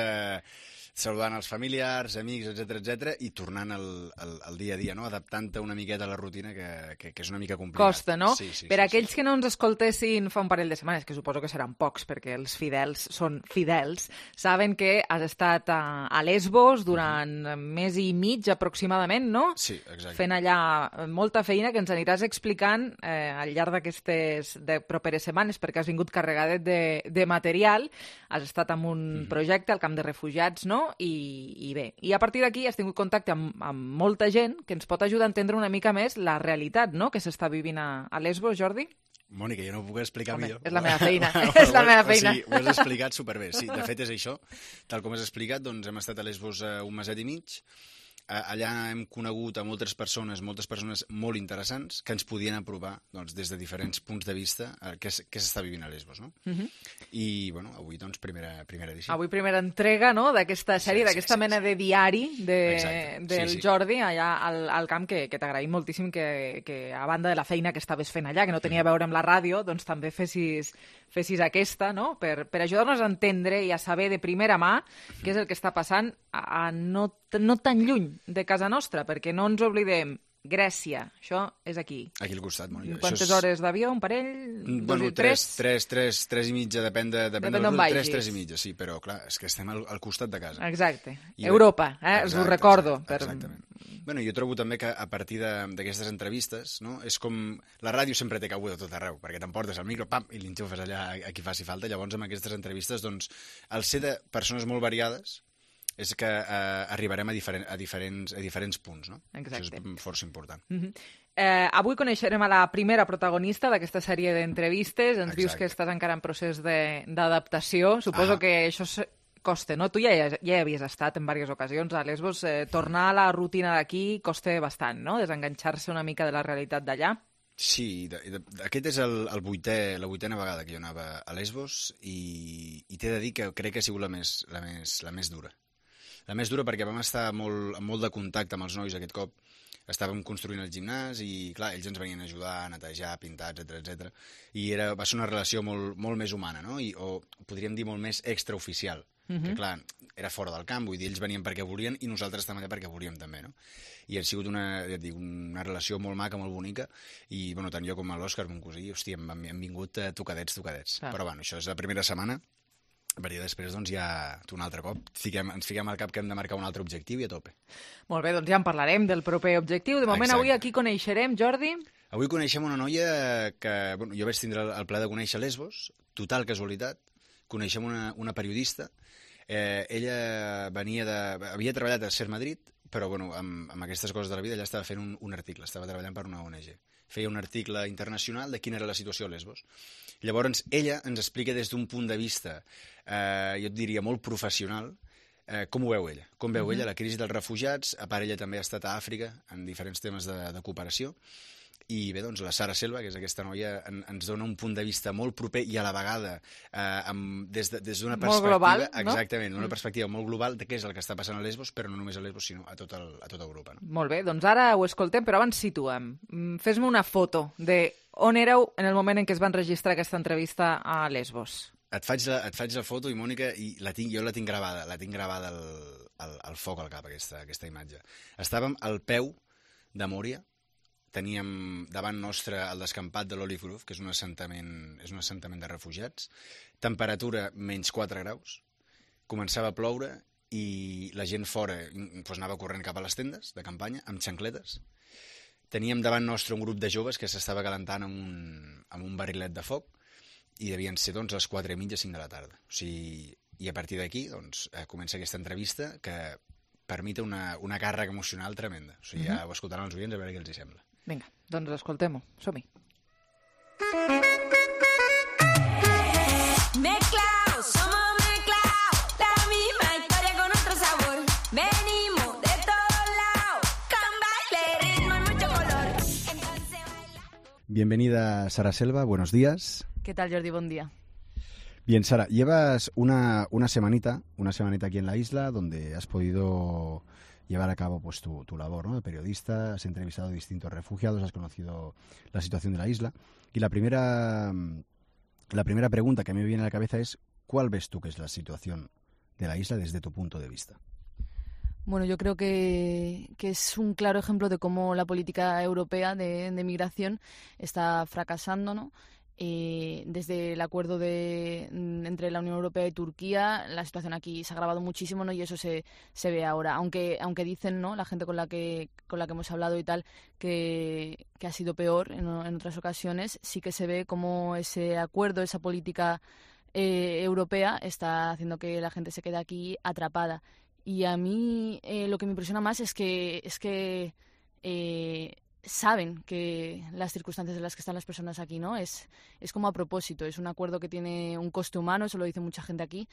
saludant els familiars, amics, etc i tornant al dia a dia, no? Adaptant-te una miqueta a la rutina, que és una mica complicat. Costa, no? Sí, per aquells que no ens escoltessin fa un parell de setmanes, que suposo que seran pocs, perquè els fidels són fidels, saben que has estat a Lesbos durant mes i mig aproximadament, no? Sí, exacte. Fent allà molta feina que ens aniràs explicant al llarg d'aquestes properes setmanes, perquè has vingut carregadet de material, has estat amb un projecte al camp de refugiats, no? I bé, i a partir d'aquí has tingut contacte amb molta gent que ens pot ajudar a entendre una mica més la realitat, no?, que s'està vivint a Lesbos, Jordi? Mònica, jo no ho puc explicar millor. És la meva feina, és la meva feina. Sí, ho has explicat superbé. Sí, de fet és això. Tal com has explicat, doncs hem estat a Lesbos un meset i mig. Allà hem conegut a moltes persones molt interessants que ens podien aprovar, doncs, des de diferents punts de vista què s'està vivint a Lesbos, no? I, bueno, avui, doncs, primera edició. Avui primera entrega, no?, d'aquesta sèrie, d'aquesta mena de diari del Jordi allà al camp, que t'agraïm moltíssim que a banda de la feina que estaves fent allà, que no tenia a veure amb la ràdio, doncs també fessis aquesta, no?, per ajudar-nos a entendre i a saber de primera mà què és el que està passant no tan lluny de casa nostra, perquè no ens oblidem, Grècia, això és aquí. Aquí al costat, Mònica. Quantes hores d'avió? Un parell? Bueno, tres i mitja, depèn d'on vagis. 3 i mitja, sí, però clar, és que estem al costat de casa. Exacte. Europa, us ho recordo. Exactament. Bueno, jo trobo també que a partir d'aquestes entrevistes, no, és com... La ràdio sempre té cabuda a tot arreu, perquè t'emportes el micro, pam, i l'enxufes allà a qui faci falta. Llavors, amb aquestes entrevistes, doncs, al ser de persones molt variades, és que arribarem a diferents punts, no? Exacte. Això és força important. Avui coneixerem a la primera protagonista d'aquesta sèrie d'entrevistes. Ens dius que estàs encara en procés d'adaptació. Suposo que això costa, no? Tu ja hi havies estat en diverses ocasions a Lesbos. Tornar a la rutina d'aquí costa bastant, no? Desenganxar-se una mica de la realitat d'allà. Sí, aquest és la vuitena vegada que jo anava a Lesbos i t'he de dir que crec que ha sigut la més dura. La més dura perquè vam estar amb molt de contacte amb els nois aquest cop. Estàvem construint el gimnàs i, clar, ells ens venien a ajudar a netejar, pintar, etc. I va ser una relació molt més humana, no? O podríem dir molt més extraoficial. Que, clar, era fora del camp, vull dir, ells venien perquè volien i nosaltres també perquè volíem també, no? I ha sigut una relació molt maca, molt bonica, i, bueno, tant jo com l'Òscar, mon cosí, hòstia, hem vingut tocadets. Però, bueno, això és la primera setmana, perquè després, doncs, ja un altre cop ens fiquem al cap que hem de marcar un altre objectiu i a tope. Molt bé, doncs ja en parlarem del proper objectiu. De moment, avui aquí coneixerem, Jordi? Avui coneixem una noia que jo vaig tindre el plaer de conèixer a Lesbos, total casualitat. Coneixem una periodista. Ella havia treballat a Ser Madrid, però bueno, amb aquestes coses de la vida ella estava fent un article, estava treballant per una ONG. Feia un article internacional de quina era la situació a Lesbos. Llavors, ella ens explica des d'un punt de vista, jo et diria, molt professional, com ho veu ella. Com veu ella la crisi dels refugiats. A part, ella també ha estat a Àfrica en diferents temes de cooperació. I bé, doncs, la Sara Selva, que és aquesta noia, ens dona un punt de vista molt proper i a la vegada des d'una perspectiva... Molt global, no? Exactament, una perspectiva molt global de què és el que està passant a Lesbos, però no només a Lesbos, sinó a tota Europa. No? Molt bé, doncs ara ho escoltem, però abans situem. Fes-me una foto de on éreu en el moment en què es van registrar aquesta entrevista a Lesbos. Et faig la foto, i Mònica, i jo la tinc gravada al foc al cap, aquesta imatge. Estàvem al peu de Mòria. Teníem davant nostre el descampat de l'Olive Grove, que és un assentament de refugiats, temperatura menys 4 graus, començava a ploure i la gent fora anava corrent cap a les tendes de campanya, amb xancletes. Teníem davant nostre un grup de joves que s'estava calentant amb un barrilet de foc i devien ser doncs, les 4:30, 5 de la tarda. O sigui, i a partir d'aquí doncs, comença aquesta entrevista que per mi té una càrrega emocional tremenda. O sigui, ja ho escoltaran els oients a veure què els hi sembla. Vinga, doncs escoltem-ho. Som-hi. Mezclao, somos mezclao, la misma historia con otro sabor. Venimos de todos lados, con baile, ritmo y mucho color. Bienvenida, Sara Selva, buenos días. ¿Qué tal, Jordi? Buen día. Bien, Sara, llevas una semanita aquí en la isla donde has podido llevar a cabo pues tu labor, ¿no? De periodista, has entrevistado a distintos refugiados, has conocido la situación de la isla. Y la primera pregunta que a mí me viene a la cabeza es, ¿cuál ves tú que es la situación de la isla desde tu punto de vista? Bueno, yo creo que es un claro ejemplo de cómo la política europea de migración está fracasando, ¿no? Desde el acuerdo entre la Unión Europea y Turquía, la situación aquí se ha agravado muchísimo, ¿no? Y eso se ve ahora. Aunque dicen, ¿no?, la gente con la que hemos hablado y tal, que ha sido peor en otras ocasiones, sí que se ve cómo ese acuerdo, esa política europea está haciendo que la gente se quede aquí atrapada. Y a mí lo que me impresiona más es que saben que las circunstancias en las que están las personas aquí, ¿no? Es como a propósito, es un acuerdo que tiene un coste humano, eso lo dice mucha gente aquí,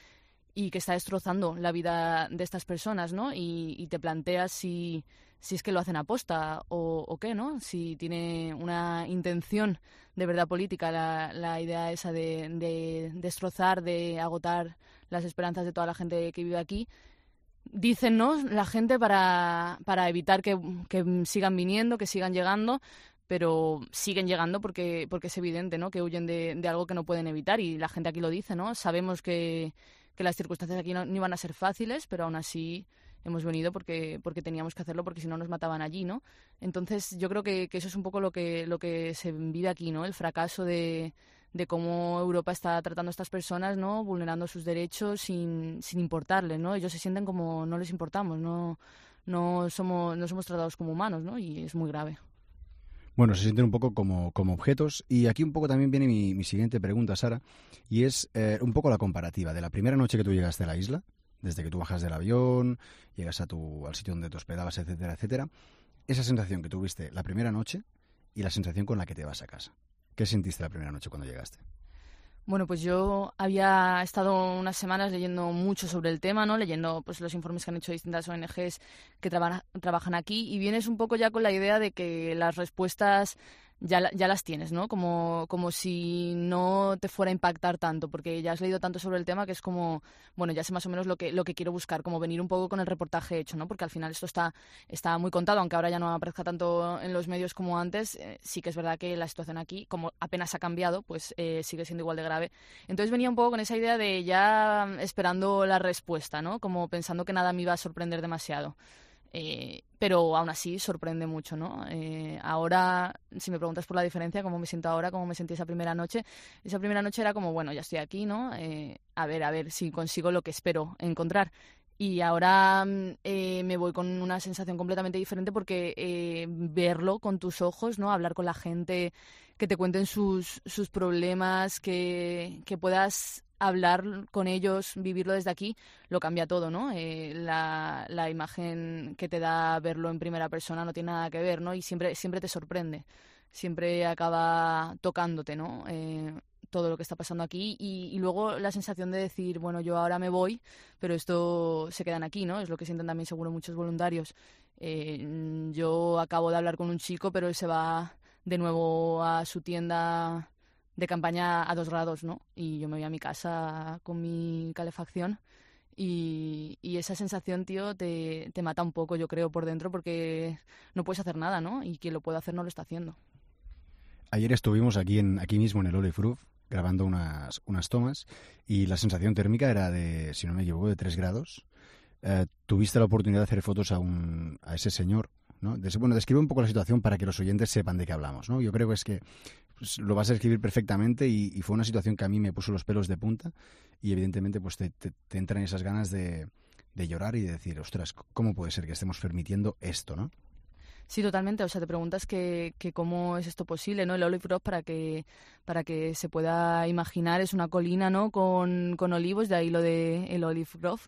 y que está destrozando la vida de estas personas, ¿no? Y te planteas si es que lo hacen aposta o qué, ¿no? Si tiene una intención de verdad política la idea esa de destrozar, de agotar las esperanzas de toda la gente que vive aquí. Dicen, ¿no?, la gente para evitar que sigan viniendo, que sigan llegando, pero siguen llegando porque es evidente, ¿no?, que huyen de algo que no pueden evitar, y la gente aquí lo dice, ¿no? Sabemos que las circunstancias aquí no iban a ser fáciles, pero aún así hemos venido porque teníamos que hacerlo, porque si no nos mataban allí, ¿no? Entonces yo creo que eso es un poco lo que se vive aquí, ¿no? El fracaso de cómo Europa está tratando a estas personas, ¿no?, vulnerando sus derechos sin importarles, ¿no? Ellos se sienten como no les importamos, no somos tratados como humanos, ¿no? Y es muy grave. Bueno, se sienten un poco como objetos. Y aquí un poco también viene mi siguiente pregunta, Sara, y es un poco la comparativa de la primera noche que tú llegaste a la isla, desde que tú bajas del avión, llegas al sitio donde te hospedabas, etcétera, etcétera. Esa sensación que tuviste la primera noche y la sensación con la que te vas a casa. ¿Qué sentiste la primera noche cuando llegaste? Bueno, pues yo había estado unas semanas leyendo mucho sobre el tema, ¿no? Leyendo pues los informes que han hecho distintas ONGs que trabajan aquí, y vienes un poco ya con la idea de que las respuestas ya las tienes, ¿no? Como si no te fuera a impactar tanto, porque ya has leído tanto sobre el tema que es como, bueno, ya sé más o menos lo que quiero buscar, como venir un poco con el reportaje hecho, ¿no? Porque al final esto está muy contado, aunque ahora ya no aparezca tanto en los medios como antes, sí que es verdad que la situación aquí, como apenas ha cambiado, pues sigue siendo igual de grave. Entonces venía un poco con esa idea de ya esperando la respuesta, ¿no? Como pensando que nada me iba a sorprender demasiado. Pero aún así sorprende mucho, ¿no? Ahora, si me preguntas por la diferencia, cómo me siento ahora, cómo me sentí esa primera noche era como, bueno, ya estoy aquí, ¿no? A ver si consigo lo que espero encontrar. Y ahora me voy con una sensación completamente diferente porque verlo con tus ojos, ¿no? Hablar con la gente, que te cuenten sus problemas, que puedas hablar con ellos, vivirlo desde aquí, lo cambia todo, ¿no? La imagen que te da verlo en primera persona no tiene nada que ver, ¿no? Y siempre te sorprende, siempre acaba tocándote, ¿no? Todo lo que está pasando aquí y luego la sensación de decir, bueno, yo ahora me voy, pero esto se quedan aquí, ¿no? Es lo que sienten también seguro muchos voluntarios. Yo acabo de hablar con un chico, pero él se va de nuevo a su tienda de campaña a 2 grados, ¿no? Y yo me voy a mi casa con mi calefacción y esa sensación, tío, te mata un poco, yo creo, por dentro, porque no puedes hacer nada, ¿no? Y quien lo puede hacer no lo está haciendo. Ayer estuvimos aquí mismo en el Olive Roof grabando unas tomas y la sensación térmica era de, si no me equivoco, de 3 grados. Tuviste la oportunidad de hacer fotos a ese señor, ¿no? Describe un poco la situación para que los oyentes sepan de qué hablamos, ¿no? Yo creo que es que pues, lo vas a describir perfectamente y fue una situación que a mí me puso los pelos de punta y evidentemente pues te entran esas ganas de llorar y de decir, ostras, ¿cómo puede ser que estemos permitiendo esto, no? Sí, totalmente. O sea, te preguntas que cómo es esto posible, ¿no? El Olive Grove, para que se pueda imaginar, es una colina, ¿no? Con olivos, de ahí lo de el Olive Grove.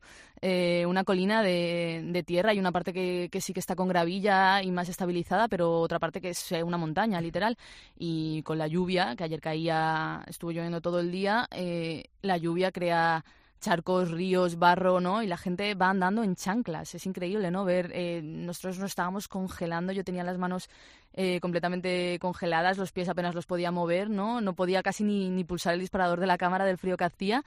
Una colina de tierra y una parte que sí que está con gravilla y más estabilizada, pero otra parte que es una montaña, literal. Y con la lluvia, que ayer estuvo lloviendo todo el día, la lluvia crea charcos, ríos, barro, ¿no? Y la gente va andando en chanclas. Es increíble, ¿no? Ver, nosotros nos estábamos congelando, yo tenía las manos completamente congeladas, los pies apenas los podía mover, ¿no? No podía casi ni pulsar el disparador de la cámara del frío que hacía.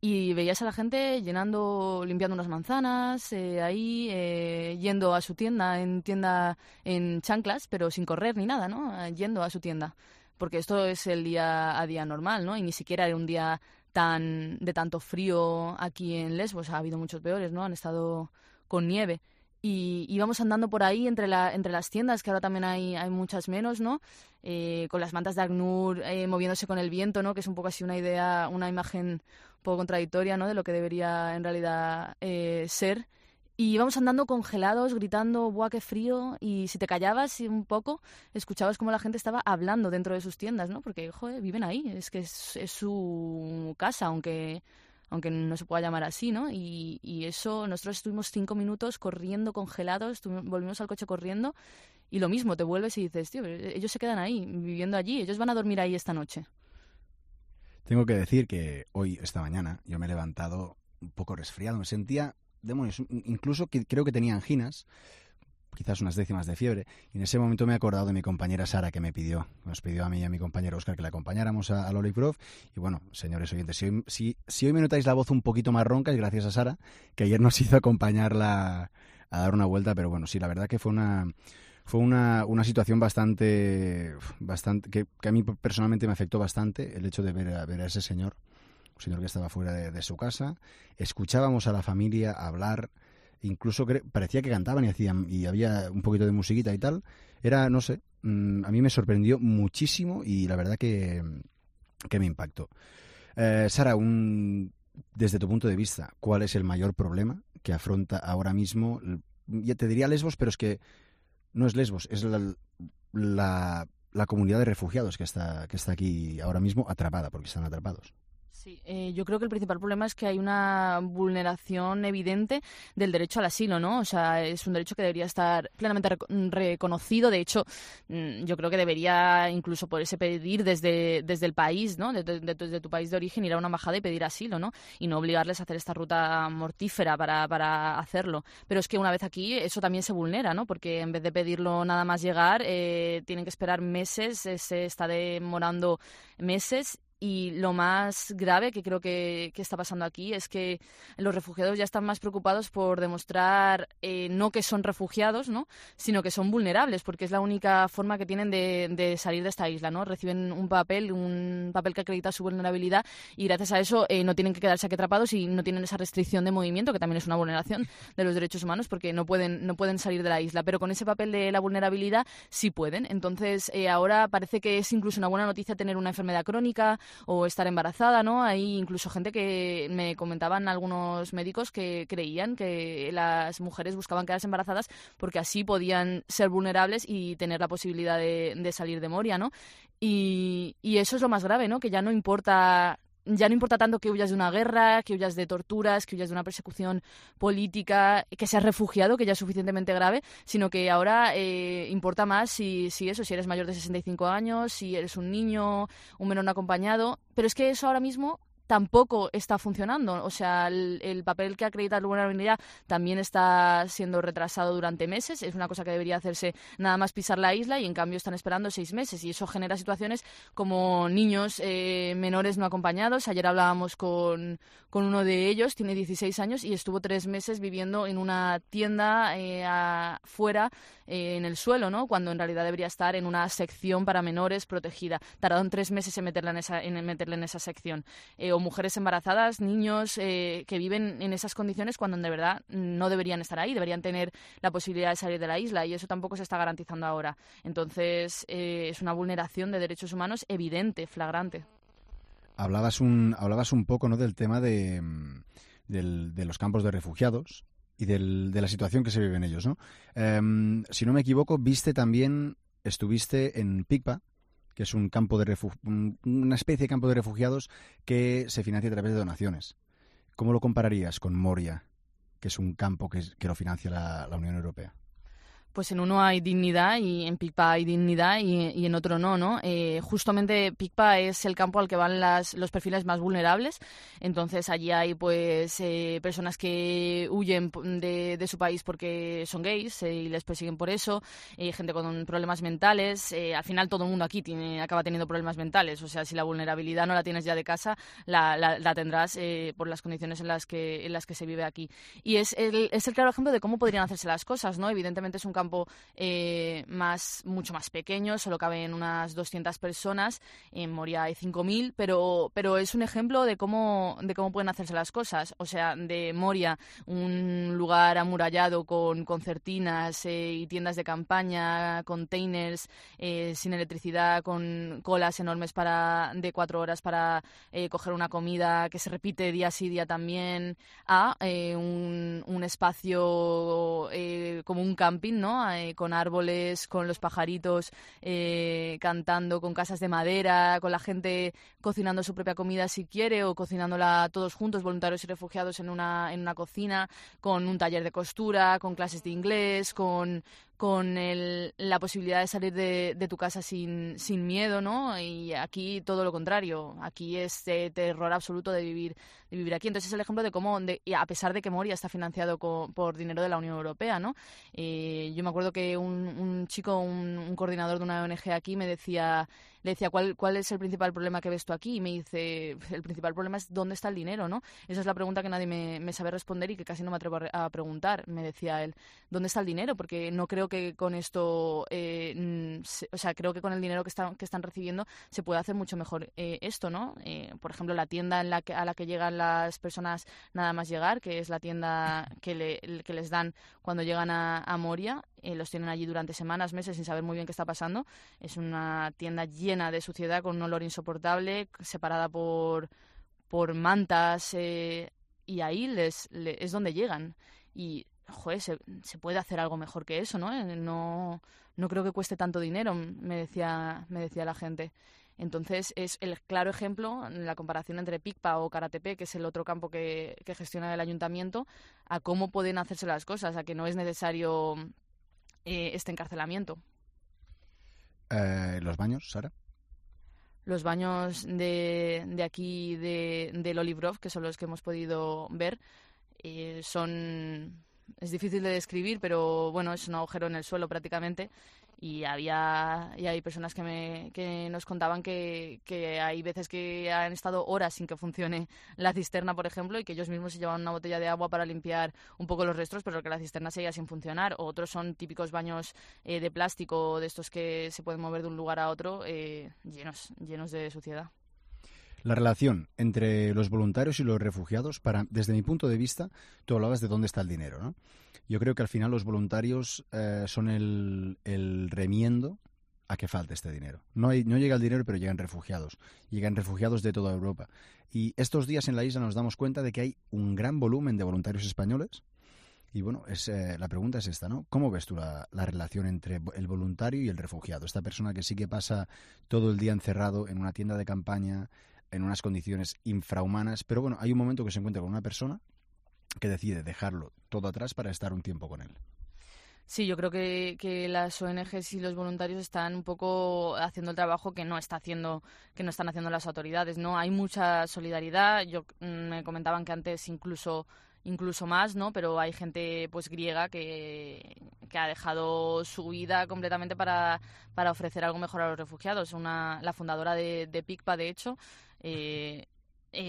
Y veías a la gente limpiando unas manzanas, yendo a su tienda en chanclas, pero sin correr ni nada, ¿no? Yendo a su tienda. Porque esto es el día a día normal, ¿no? Y ni siquiera era un día de tanto frío aquí en Lesbos. Ha habido muchos peores, ¿no? Han estado con nieve. Y íbamos andando por ahí entre las tiendas, que ahora también hay muchas menos, ¿no? Con las mantas de ACNUR moviéndose con el viento, ¿no? Que es un poco así una imagen un poco contradictoria, ¿no? De lo que debería en realidad ser. Y íbamos andando congelados, gritando, ¡buah, qué frío! Y si te callabas un poco, escuchabas cómo la gente estaba hablando dentro de sus tiendas, ¿no? Porque, joder, viven ahí, es que es su casa, aunque no se pueda llamar así, ¿no? Y eso, nosotros estuvimos 5 minutos corriendo, congelados, volvimos al coche corriendo, y lo mismo, te vuelves y dices, tío, ellos se quedan ahí, viviendo allí, ellos van a dormir ahí esta noche. Tengo que decir que esta mañana, yo me he levantado un poco resfriado, me sentía... demonios, incluso creo que tenía anginas, quizás unas décimas de fiebre, y en ese momento me he acordado de mi compañera Sara, que nos pidió a mí y a mi compañero Óscar que la acompañáramos al Olive Grove. Y bueno, señores oyentes, si hoy me notáis la voz un poquito más ronca es gracias a Sara, que ayer nos hizo acompañarla a dar una vuelta, pero bueno, sí, la verdad que fue una situación bastante que a mí personalmente me afectó bastante, el hecho de ver a ese señor que estaba fuera de su casa. Escuchábamos a la familia hablar, incluso parecía que cantaban y había un poquito de musiquita y tal. Era, no sé, a mí me sorprendió muchísimo y la verdad que me impactó. Sara, desde tu punto de vista, ¿cuál es el mayor problema que afronta ahora mismo? Ya te diría Lesbos, pero es que no es Lesbos, es la comunidad de refugiados que está aquí ahora mismo atrapada, porque están atrapados. Sí, yo creo que el principal problema es que hay una vulneración evidente del derecho al asilo, ¿no? O sea, es un derecho que debería estar plenamente reconocido. De hecho, yo creo que debería incluso poderse pedir desde el país, ¿no? Desde tu país de origen, ir a una embajada y pedir asilo, ¿no? Y no obligarles a hacer esta ruta mortífera para hacerlo. Pero es que una vez aquí eso también se vulnera, ¿no? Porque en vez de pedirlo nada más llegar, tienen que esperar meses, se está demorando meses. Y lo más grave que creo que está pasando aquí es que los refugiados ya están más preocupados por demostrar no que son refugiados, ¿no? Sino que son vulnerables, porque es la única forma que tienen de salir de esta isla, ¿no? Reciben un papel que acredita su vulnerabilidad y gracias a eso no tienen que quedarse aquí atrapados y no tienen esa restricción de movimiento, que también es una vulneración de los derechos humanos, porque no pueden salir de la isla. Pero con ese papel de la vulnerabilidad sí pueden. Entonces ahora parece que es incluso una buena noticia tener una enfermedad crónica o estar embarazada, ¿no? Hay incluso gente que me comentaban algunos médicos que creían que las mujeres buscaban quedarse embarazadas porque así podían ser vulnerables y tener la posibilidad de salir de Moria, ¿no? Y eso es lo más grave, ¿no? Que ya no importa tanto que huyas de una guerra, que huyas de torturas, que huyas de una persecución política, que seas refugiado, que ya es suficientemente grave, sino que ahora importa más si eres mayor de 65 años, si eres un niño, un menor no acompañado. Pero es que eso ahora mismo tampoco está funcionando. O sea, el papel que acredita la vulnerabilidad también está siendo retrasado durante meses. Es una cosa que debería hacerse nada más pisar la isla y en cambio están esperando 6 meses. Y eso genera situaciones como niños menores no acompañados. Ayer hablábamos con uno de ellos, tiene 16 años y estuvo 3 meses viviendo en una tienda afuera, en el suelo, ¿no? Cuando en realidad debería estar en una sección para menores protegida. Tardaron 3 meses en meterla en esa sección. O mujeres embarazadas, niños que viven en esas condiciones cuando de verdad no deberían estar ahí, deberían tener la posibilidad de salir de la isla y eso tampoco se está garantizando ahora. Entonces es una vulneración de derechos humanos evidente, flagrante. Hablabas un poco, ¿no?, del tema de los campos de refugiados y de la situación que se vive en ellos, ¿no? Si no me equivoco, estuviste en Pikpa, que es una especie de campo de refugiados que se financia a través de donaciones. ¿Cómo lo compararías con Moria, que es un campo que lo financia la Unión Europea? Pues en uno hay dignidad y en Pikpa hay dignidad y en otro no, ¿no? Justamente Pikpa es el campo al que van los perfiles más vulnerables. Entonces allí hay pues personas que huyen de su país porque son gays y les persiguen por eso, gente con problemas mentales. Al final todo el mundo aquí acaba teniendo problemas mentales. O sea, si la vulnerabilidad no la tienes ya de casa, la tendrás por las condiciones en las que se vive aquí. Y es el claro ejemplo de cómo podrían hacerse las cosas, ¿no? Evidentemente es un campo mucho más pequeño, solo caben unas 200 personas, en Moria hay 5.000, pero es un ejemplo de cómo pueden hacerse las cosas. O sea, de Moria, un lugar amurallado con concertinas y tiendas de campaña, containers sin electricidad, con colas enormes de 4 horas para coger una comida que se repite día sí día también, a un espacio como un camping, ¿no? Con árboles, con los pajaritos cantando, con casas de madera, con la gente cocinando su propia comida si quiere o cocinándola todos juntos, voluntarios y refugiados en una cocina, con un taller de costura, con clases de inglés, con la posibilidad de salir de tu casa sin miedo, ¿no? Y aquí todo lo contrario, aquí es terror absoluto de vivir aquí. Entonces es el ejemplo de cómo, a pesar de que Moria está financiado por dinero de la Unión Europea, ¿no? Yo me acuerdo que un chico, un coordinador de una ONG aquí le decía ¿cuál es el principal problema que ves tú aquí? Y me dice, el principal problema es ¿dónde está el dinero, no? Esa es la pregunta que nadie me sabe responder y que casi no me atrevo a preguntar. Me decía él, ¿dónde está el dinero? Porque no creo que con esto, creo que con el dinero que están recibiendo se puede hacer mucho mejor esto, ¿no? Por ejemplo, la tienda a la que llegan las personas nada más llegar, que es la tienda que les dan cuando llegan a Moria, los tienen allí durante semanas, meses, sin saber muy bien qué está pasando. Es una tienda llena de suciedad, con un olor insoportable, separada por por mantas, y ahí es donde llegan. Y joder, se puede hacer algo mejor que eso, ¿no? No creo que cueste tanto dinero, me decía la gente. Entonces, es el claro ejemplo, la comparación entre PICPA o Karatepe, que es el otro campo que gestiona el ayuntamiento, a cómo pueden hacerse las cosas, a que no es necesario este encarcelamiento. ¿Los baños, Sara? Los baños de aquí, del Olive Grove, que son los que hemos podido ver, es difícil de describir, pero bueno, es un agujero en el suelo prácticamente. Y hay personas que nos contaban que hay veces que han estado horas sin que funcione la cisterna, por ejemplo, y que ellos mismos se llevan una botella de agua para limpiar un poco los restos, pero que la cisterna seguía sin funcionar. O otros son típicos baños de plástico, de estos que se pueden mover de un lugar a otro, llenos de suciedad. La relación entre los voluntarios y los refugiados, desde mi punto de vista, tú hablabas de dónde está el dinero, ¿no? Yo creo que al final los voluntarios son el remiendo a que falte este dinero. No llega el dinero, pero llegan refugiados. Llegan refugiados de toda Europa. Y estos días en la isla nos damos cuenta de que hay un gran volumen de voluntarios españoles. Y bueno, la pregunta es esta, ¿no? ¿Cómo ves tú la relación entre el voluntario y el refugiado? Esta persona que sí que pasa todo el día encerrado en una tienda de campaña, en unas condiciones infrahumanas, pero bueno, hay un momento que se encuentra con una persona que decide dejarlo todo atrás para estar un tiempo con él. Sí, yo creo que las ONGs y los voluntarios están un poco haciendo el trabajo que no están haciendo las autoridades, ¿no? Hay mucha solidaridad. Me comentaban que antes incluso más, ¿no? Pero hay gente pues griega que ha dejado su vida completamente para ofrecer algo mejor a los refugiados. La fundadora de PICPA, de hecho,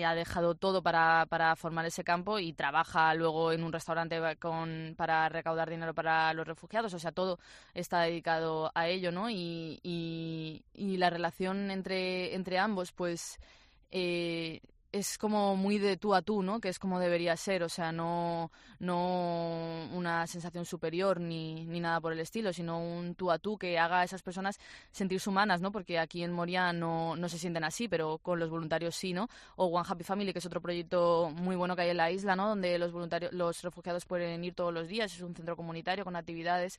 ha dejado todo para formar ese campo y trabaja luego en un restaurante para recaudar dinero para los refugiados. O sea, todo está dedicado a ello, ¿no? Y la relación entre ambos, pues es como muy de tú a tú, ¿no? Que es como debería ser, o sea, no una sensación superior ni nada por el estilo, sino un tú a tú que haga a esas personas sentirse humanas, ¿no? Porque aquí en Moria no se sienten así, pero con los voluntarios sí, ¿no? O One Happy Family, que es otro proyecto muy bueno que hay en la isla, ¿no? Donde los refugiados pueden ir todos los días, es un centro comunitario con actividades.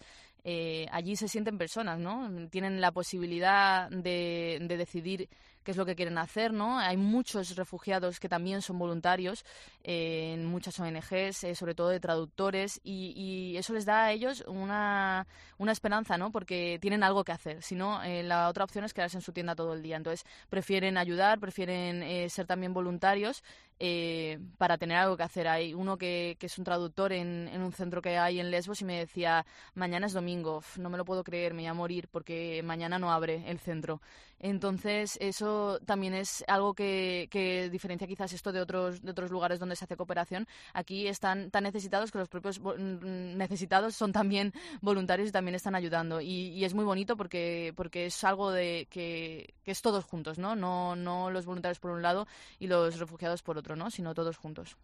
Allí se sienten personas, ¿no? Tienen la posibilidad de decidir qué es lo que quieren hacer, ¿no? Hay muchos refugiados que también son voluntarios en muchas ONGs, sobre todo de traductores, y eso les da a ellos una esperanza, ¿no? Porque tienen algo que hacer. Si no, la otra opción es quedarse en su tienda todo el día. Entonces, prefieren ayudar, prefieren ser también voluntarios para tener algo que hacer. Hay uno que es un traductor en un centro que hay en Lesbos y me decía, mañana es domingo, no me lo puedo creer, me voy a morir porque mañana no abre el centro. Entonces, eso también es algo que diferencia quizás esto de otros lugares donde se hace cooperación. Aquí están tan necesitados que los propios necesitados son también voluntarios y también están ayudando. Y es muy bonito porque es algo de que es todos juntos, ¿no? No los voluntarios por un lado y los refugiados por otro, ¿no? Sino todos juntos.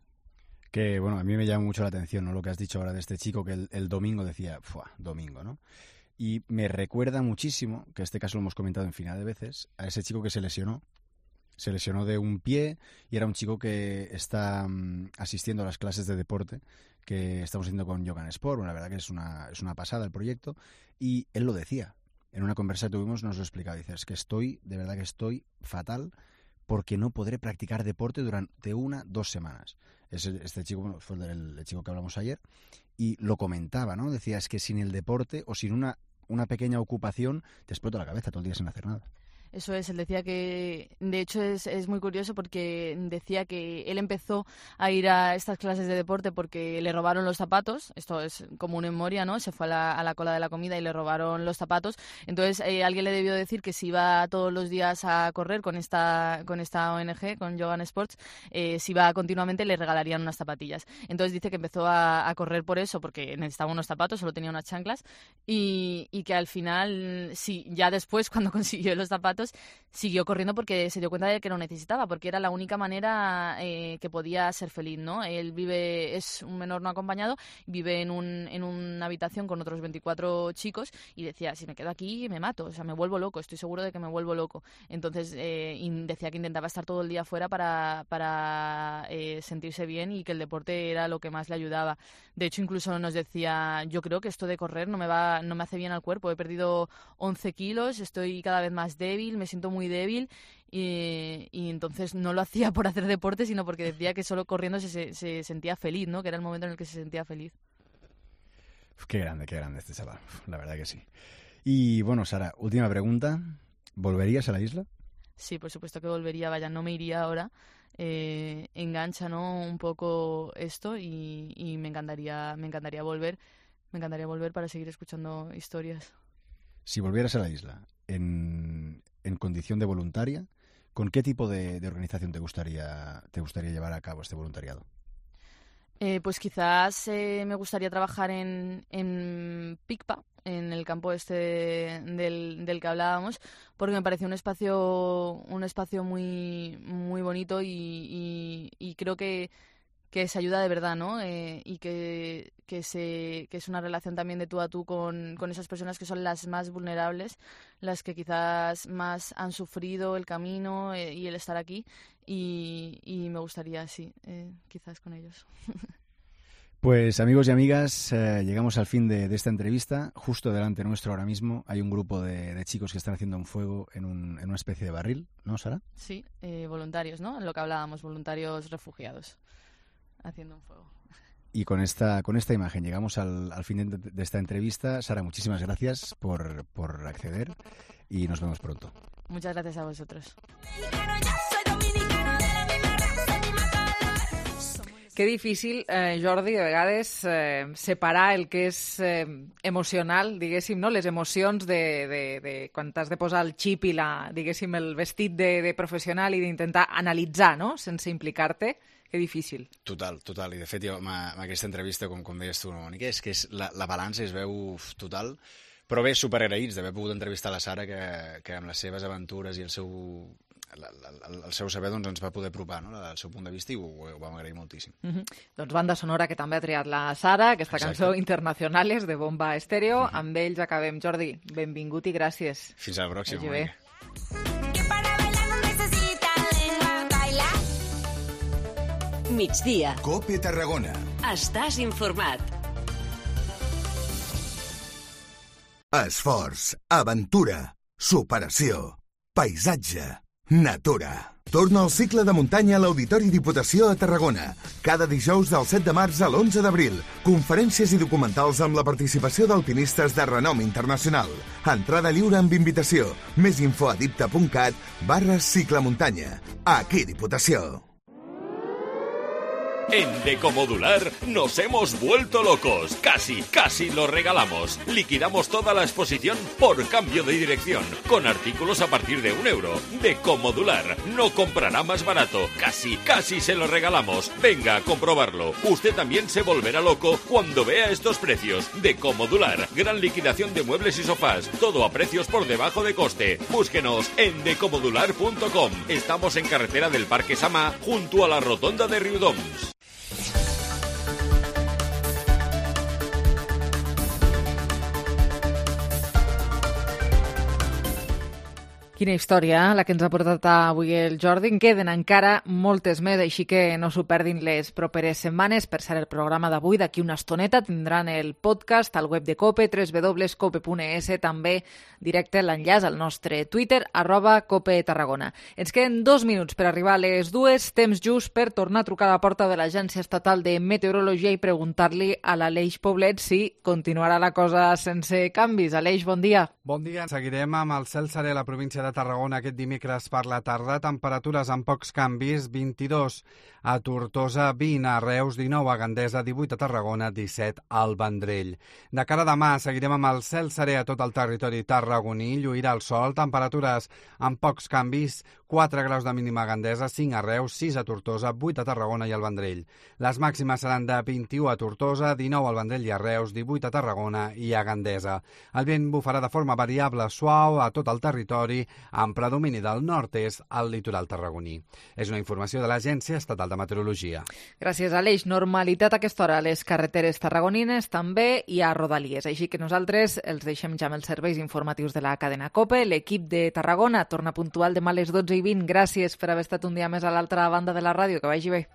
Que, bueno, a mí me llama mucho la atención, ¿no? Lo que has dicho ahora de este chico que el domingo decía, domingo, ¿no? Y me recuerda muchísimo, que este caso lo hemos comentado infinidad de veces, a ese chico que se lesionó. Se lesionó de un pie y era un chico que está asistiendo a las clases de deporte que estamos haciendo con Yogan Sport. La verdad que es una pasada el proyecto. Y él lo decía. En una conversa que tuvimos nos lo explicaba. Dice, es que de verdad que estoy fatal porque no podré practicar deporte durante 1-2 semanas. Este chico fue el chico que hablamos ayer y lo comentaba, ¿no? Decía, es que sin el deporte o sin una pequeña ocupación te explota la cabeza todo el día sin hacer nada. Eso es, él decía que, de hecho es muy curioso porque decía que él empezó a ir a estas clases de deporte porque le robaron los zapatos, esto es común en Moria, ¿no? Se fue a la cola de la comida y le robaron los zapatos, entonces alguien le debió decir que si iba todos los días a correr con esta ONG, con Yogan Sports, si iba continuamente le regalarían unas zapatillas. Entonces dice que empezó a correr por eso, porque necesitaba unos zapatos, solo tenía unas chanclas, y que al final, sí, ya después cuando consiguió los zapatos, zapatos, siguió corriendo porque se dio cuenta de que lo necesitaba, porque era la única manera que podía ser feliz, ¿no? Él es un menor no acompañado, vive en una habitación con otros 24 chicos y decía, si me quedo aquí me mato, o sea, me vuelvo loco, estoy seguro de que me vuelvo loco. Entonces decía que intentaba estar todo el día fuera para sentirse bien y que el deporte era lo que más le ayudaba. De hecho, incluso nos decía, yo creo que esto de correr no me hace bien al cuerpo, he perdido 11 kilos, estoy cada vez más débil, me siento muy débil y entonces no lo hacía por hacer deporte, sino porque decía que solo corriendo se sentía feliz, ¿no? Que era el momento en el que se sentía feliz. Qué grande este chaval, la verdad que sí. Y bueno, Sara, última pregunta, ¿volverías a la isla? Sí, por supuesto que volvería, vaya, no me iría ahora. Engancha, ¿no?, un poco esto y me encantaría volver. Me encantaría volver para seguir escuchando historias. Si volvieras a la isla en condición de voluntaria, ¿con qué tipo de organización te gustaría llevar a cabo este voluntariado? Pues quizás me gustaría trabajar en Picpa, en el campo del que hablábamos, porque me pareció un espacio muy, muy bonito y creo que se ayuda de verdad, ¿no? Y que es una relación también de tú a tú con esas personas que son las más vulnerables, las que quizás más han sufrido el camino y el estar aquí, y me gustaría, sí, quizás con ellos. Pues amigos y amigas, llegamos al fin de esta entrevista. Justo delante nuestro ahora mismo hay un grupo de chicos que están haciendo un fuego en una especie de barril, ¿no, Sara? Sí, voluntarios, ¿no? En lo que hablábamos, voluntarios refugiados, haciendo un fuego. Y con esta imagen llegamos al fin de esta entrevista. Sara, muchísimas gracias por acceder y nos vemos pronto. Muchas gracias a vosotros. Que difícil, Jordi, de vegades separar el que és emocional, diguéssim, no? Les emocions de quan t'has de posar el xip i diguéssim, el vestit de professional i d'intentar analitzar, no?, sense implicar-te. Que difícil. Total. I de fet, jo, amb aquesta entrevista, com deies tu, Mònica, és que la balança es veu total, però bé, superagraïts d'haver pogut entrevistar la Sara, que amb les seves aventures i el seu saber doncs, ens va poder apropar, no?, el seu punt de vista, i ho vam agrair moltíssim. Doncs banda sonora que també ha triat la Sara, aquesta cançó Internacionales de Bomba Estéreo. Amb ells acabem. Jordi, benvingut i gràcies. Fins a la pròxima, Mònica. Migdia. COPE Tarragona. Estàs informat. Esforç, aventura, superació, paisatge, natura. Torna al cicle de muntanya a l'Auditori Diputació a Tarragona. Cada dijous del 7 de març a l'11 d'abril. Conferències i documentals amb la participació d'alpinistes de renom internacional. Entrada lliure amb invitació. Més info a dipta.cat/ciclemuntanya. Aquí Diputació. En Decomodular nos hemos vuelto locos. Casi lo regalamos. Liquidamos toda la exposición por cambio de dirección, con artículos a partir de €1. Decomodular no comprará más barato. Casi se lo regalamos. Venga a comprobarlo. Usted también se volverá loco cuando vea estos precios. Decomodular, gran liquidación de muebles y sofás. Todo a precios por debajo de coste. Búsquenos en decomodular.com. Estamos en carretera del Parque Sama, junto a la rotonda de Riudoms. Quina història, la que ens ha portat avui el Jordi. En queden encara moltes més, així que no s'ho perdin les properes setmanes. Per cert, el programa d'avui, d'aquí una estoneta, tindran el podcast al web de COPE, www.cope.es, també directe l'enllaç al nostre Twitter, @COPETarragona. Ens queden 2 minuts per arribar a les 2, temps just per tornar a trucar a la porta de l'Agència Estatal de Meteorologia i preguntar-li a l'Aleix Poblet si continuarà la cosa sense canvis. Aleix, bon dia. Bon dia. Seguirem amb el cel serè a la província de Tarragona aquest dimecres per la tarda. Temperatures amb pocs canvis, 22 a Tortosa, 20 a Reus, 19 a Gandesa, 18 a Tarragona, 17 al Vendrell. De cara a demà seguirem amb el cel serè a tot el territori tarragoní, lluirà el sol, temperatures amb pocs canvis, 4 graus de mínima a Gandesa, 5 a Reus, 6 a Tortosa, 8 a Tarragona i al Vendrell. Les màximes seran de 21 a Tortosa, 19 al Vendrell i a Reus, 18 a Tarragona i a Gandesa. El vent bufarà de forma variable suau a tot el territori, amb predomini del nord-est al litoral tarragoní. És una informació de l'Agència Estatal de Meteorologia. Gràcies, Aleix. Normalitat a aquesta hora a les carreteres tarragonines també i a Rodalies. Així que nosaltres els deixem ja amb els serveis informatius de la cadena COPE. L'equip de Tarragona torna puntual demà a les 12:20. Gràcies per haver estat un dia més a l'altra banda de la ràdio. Que vagi bé.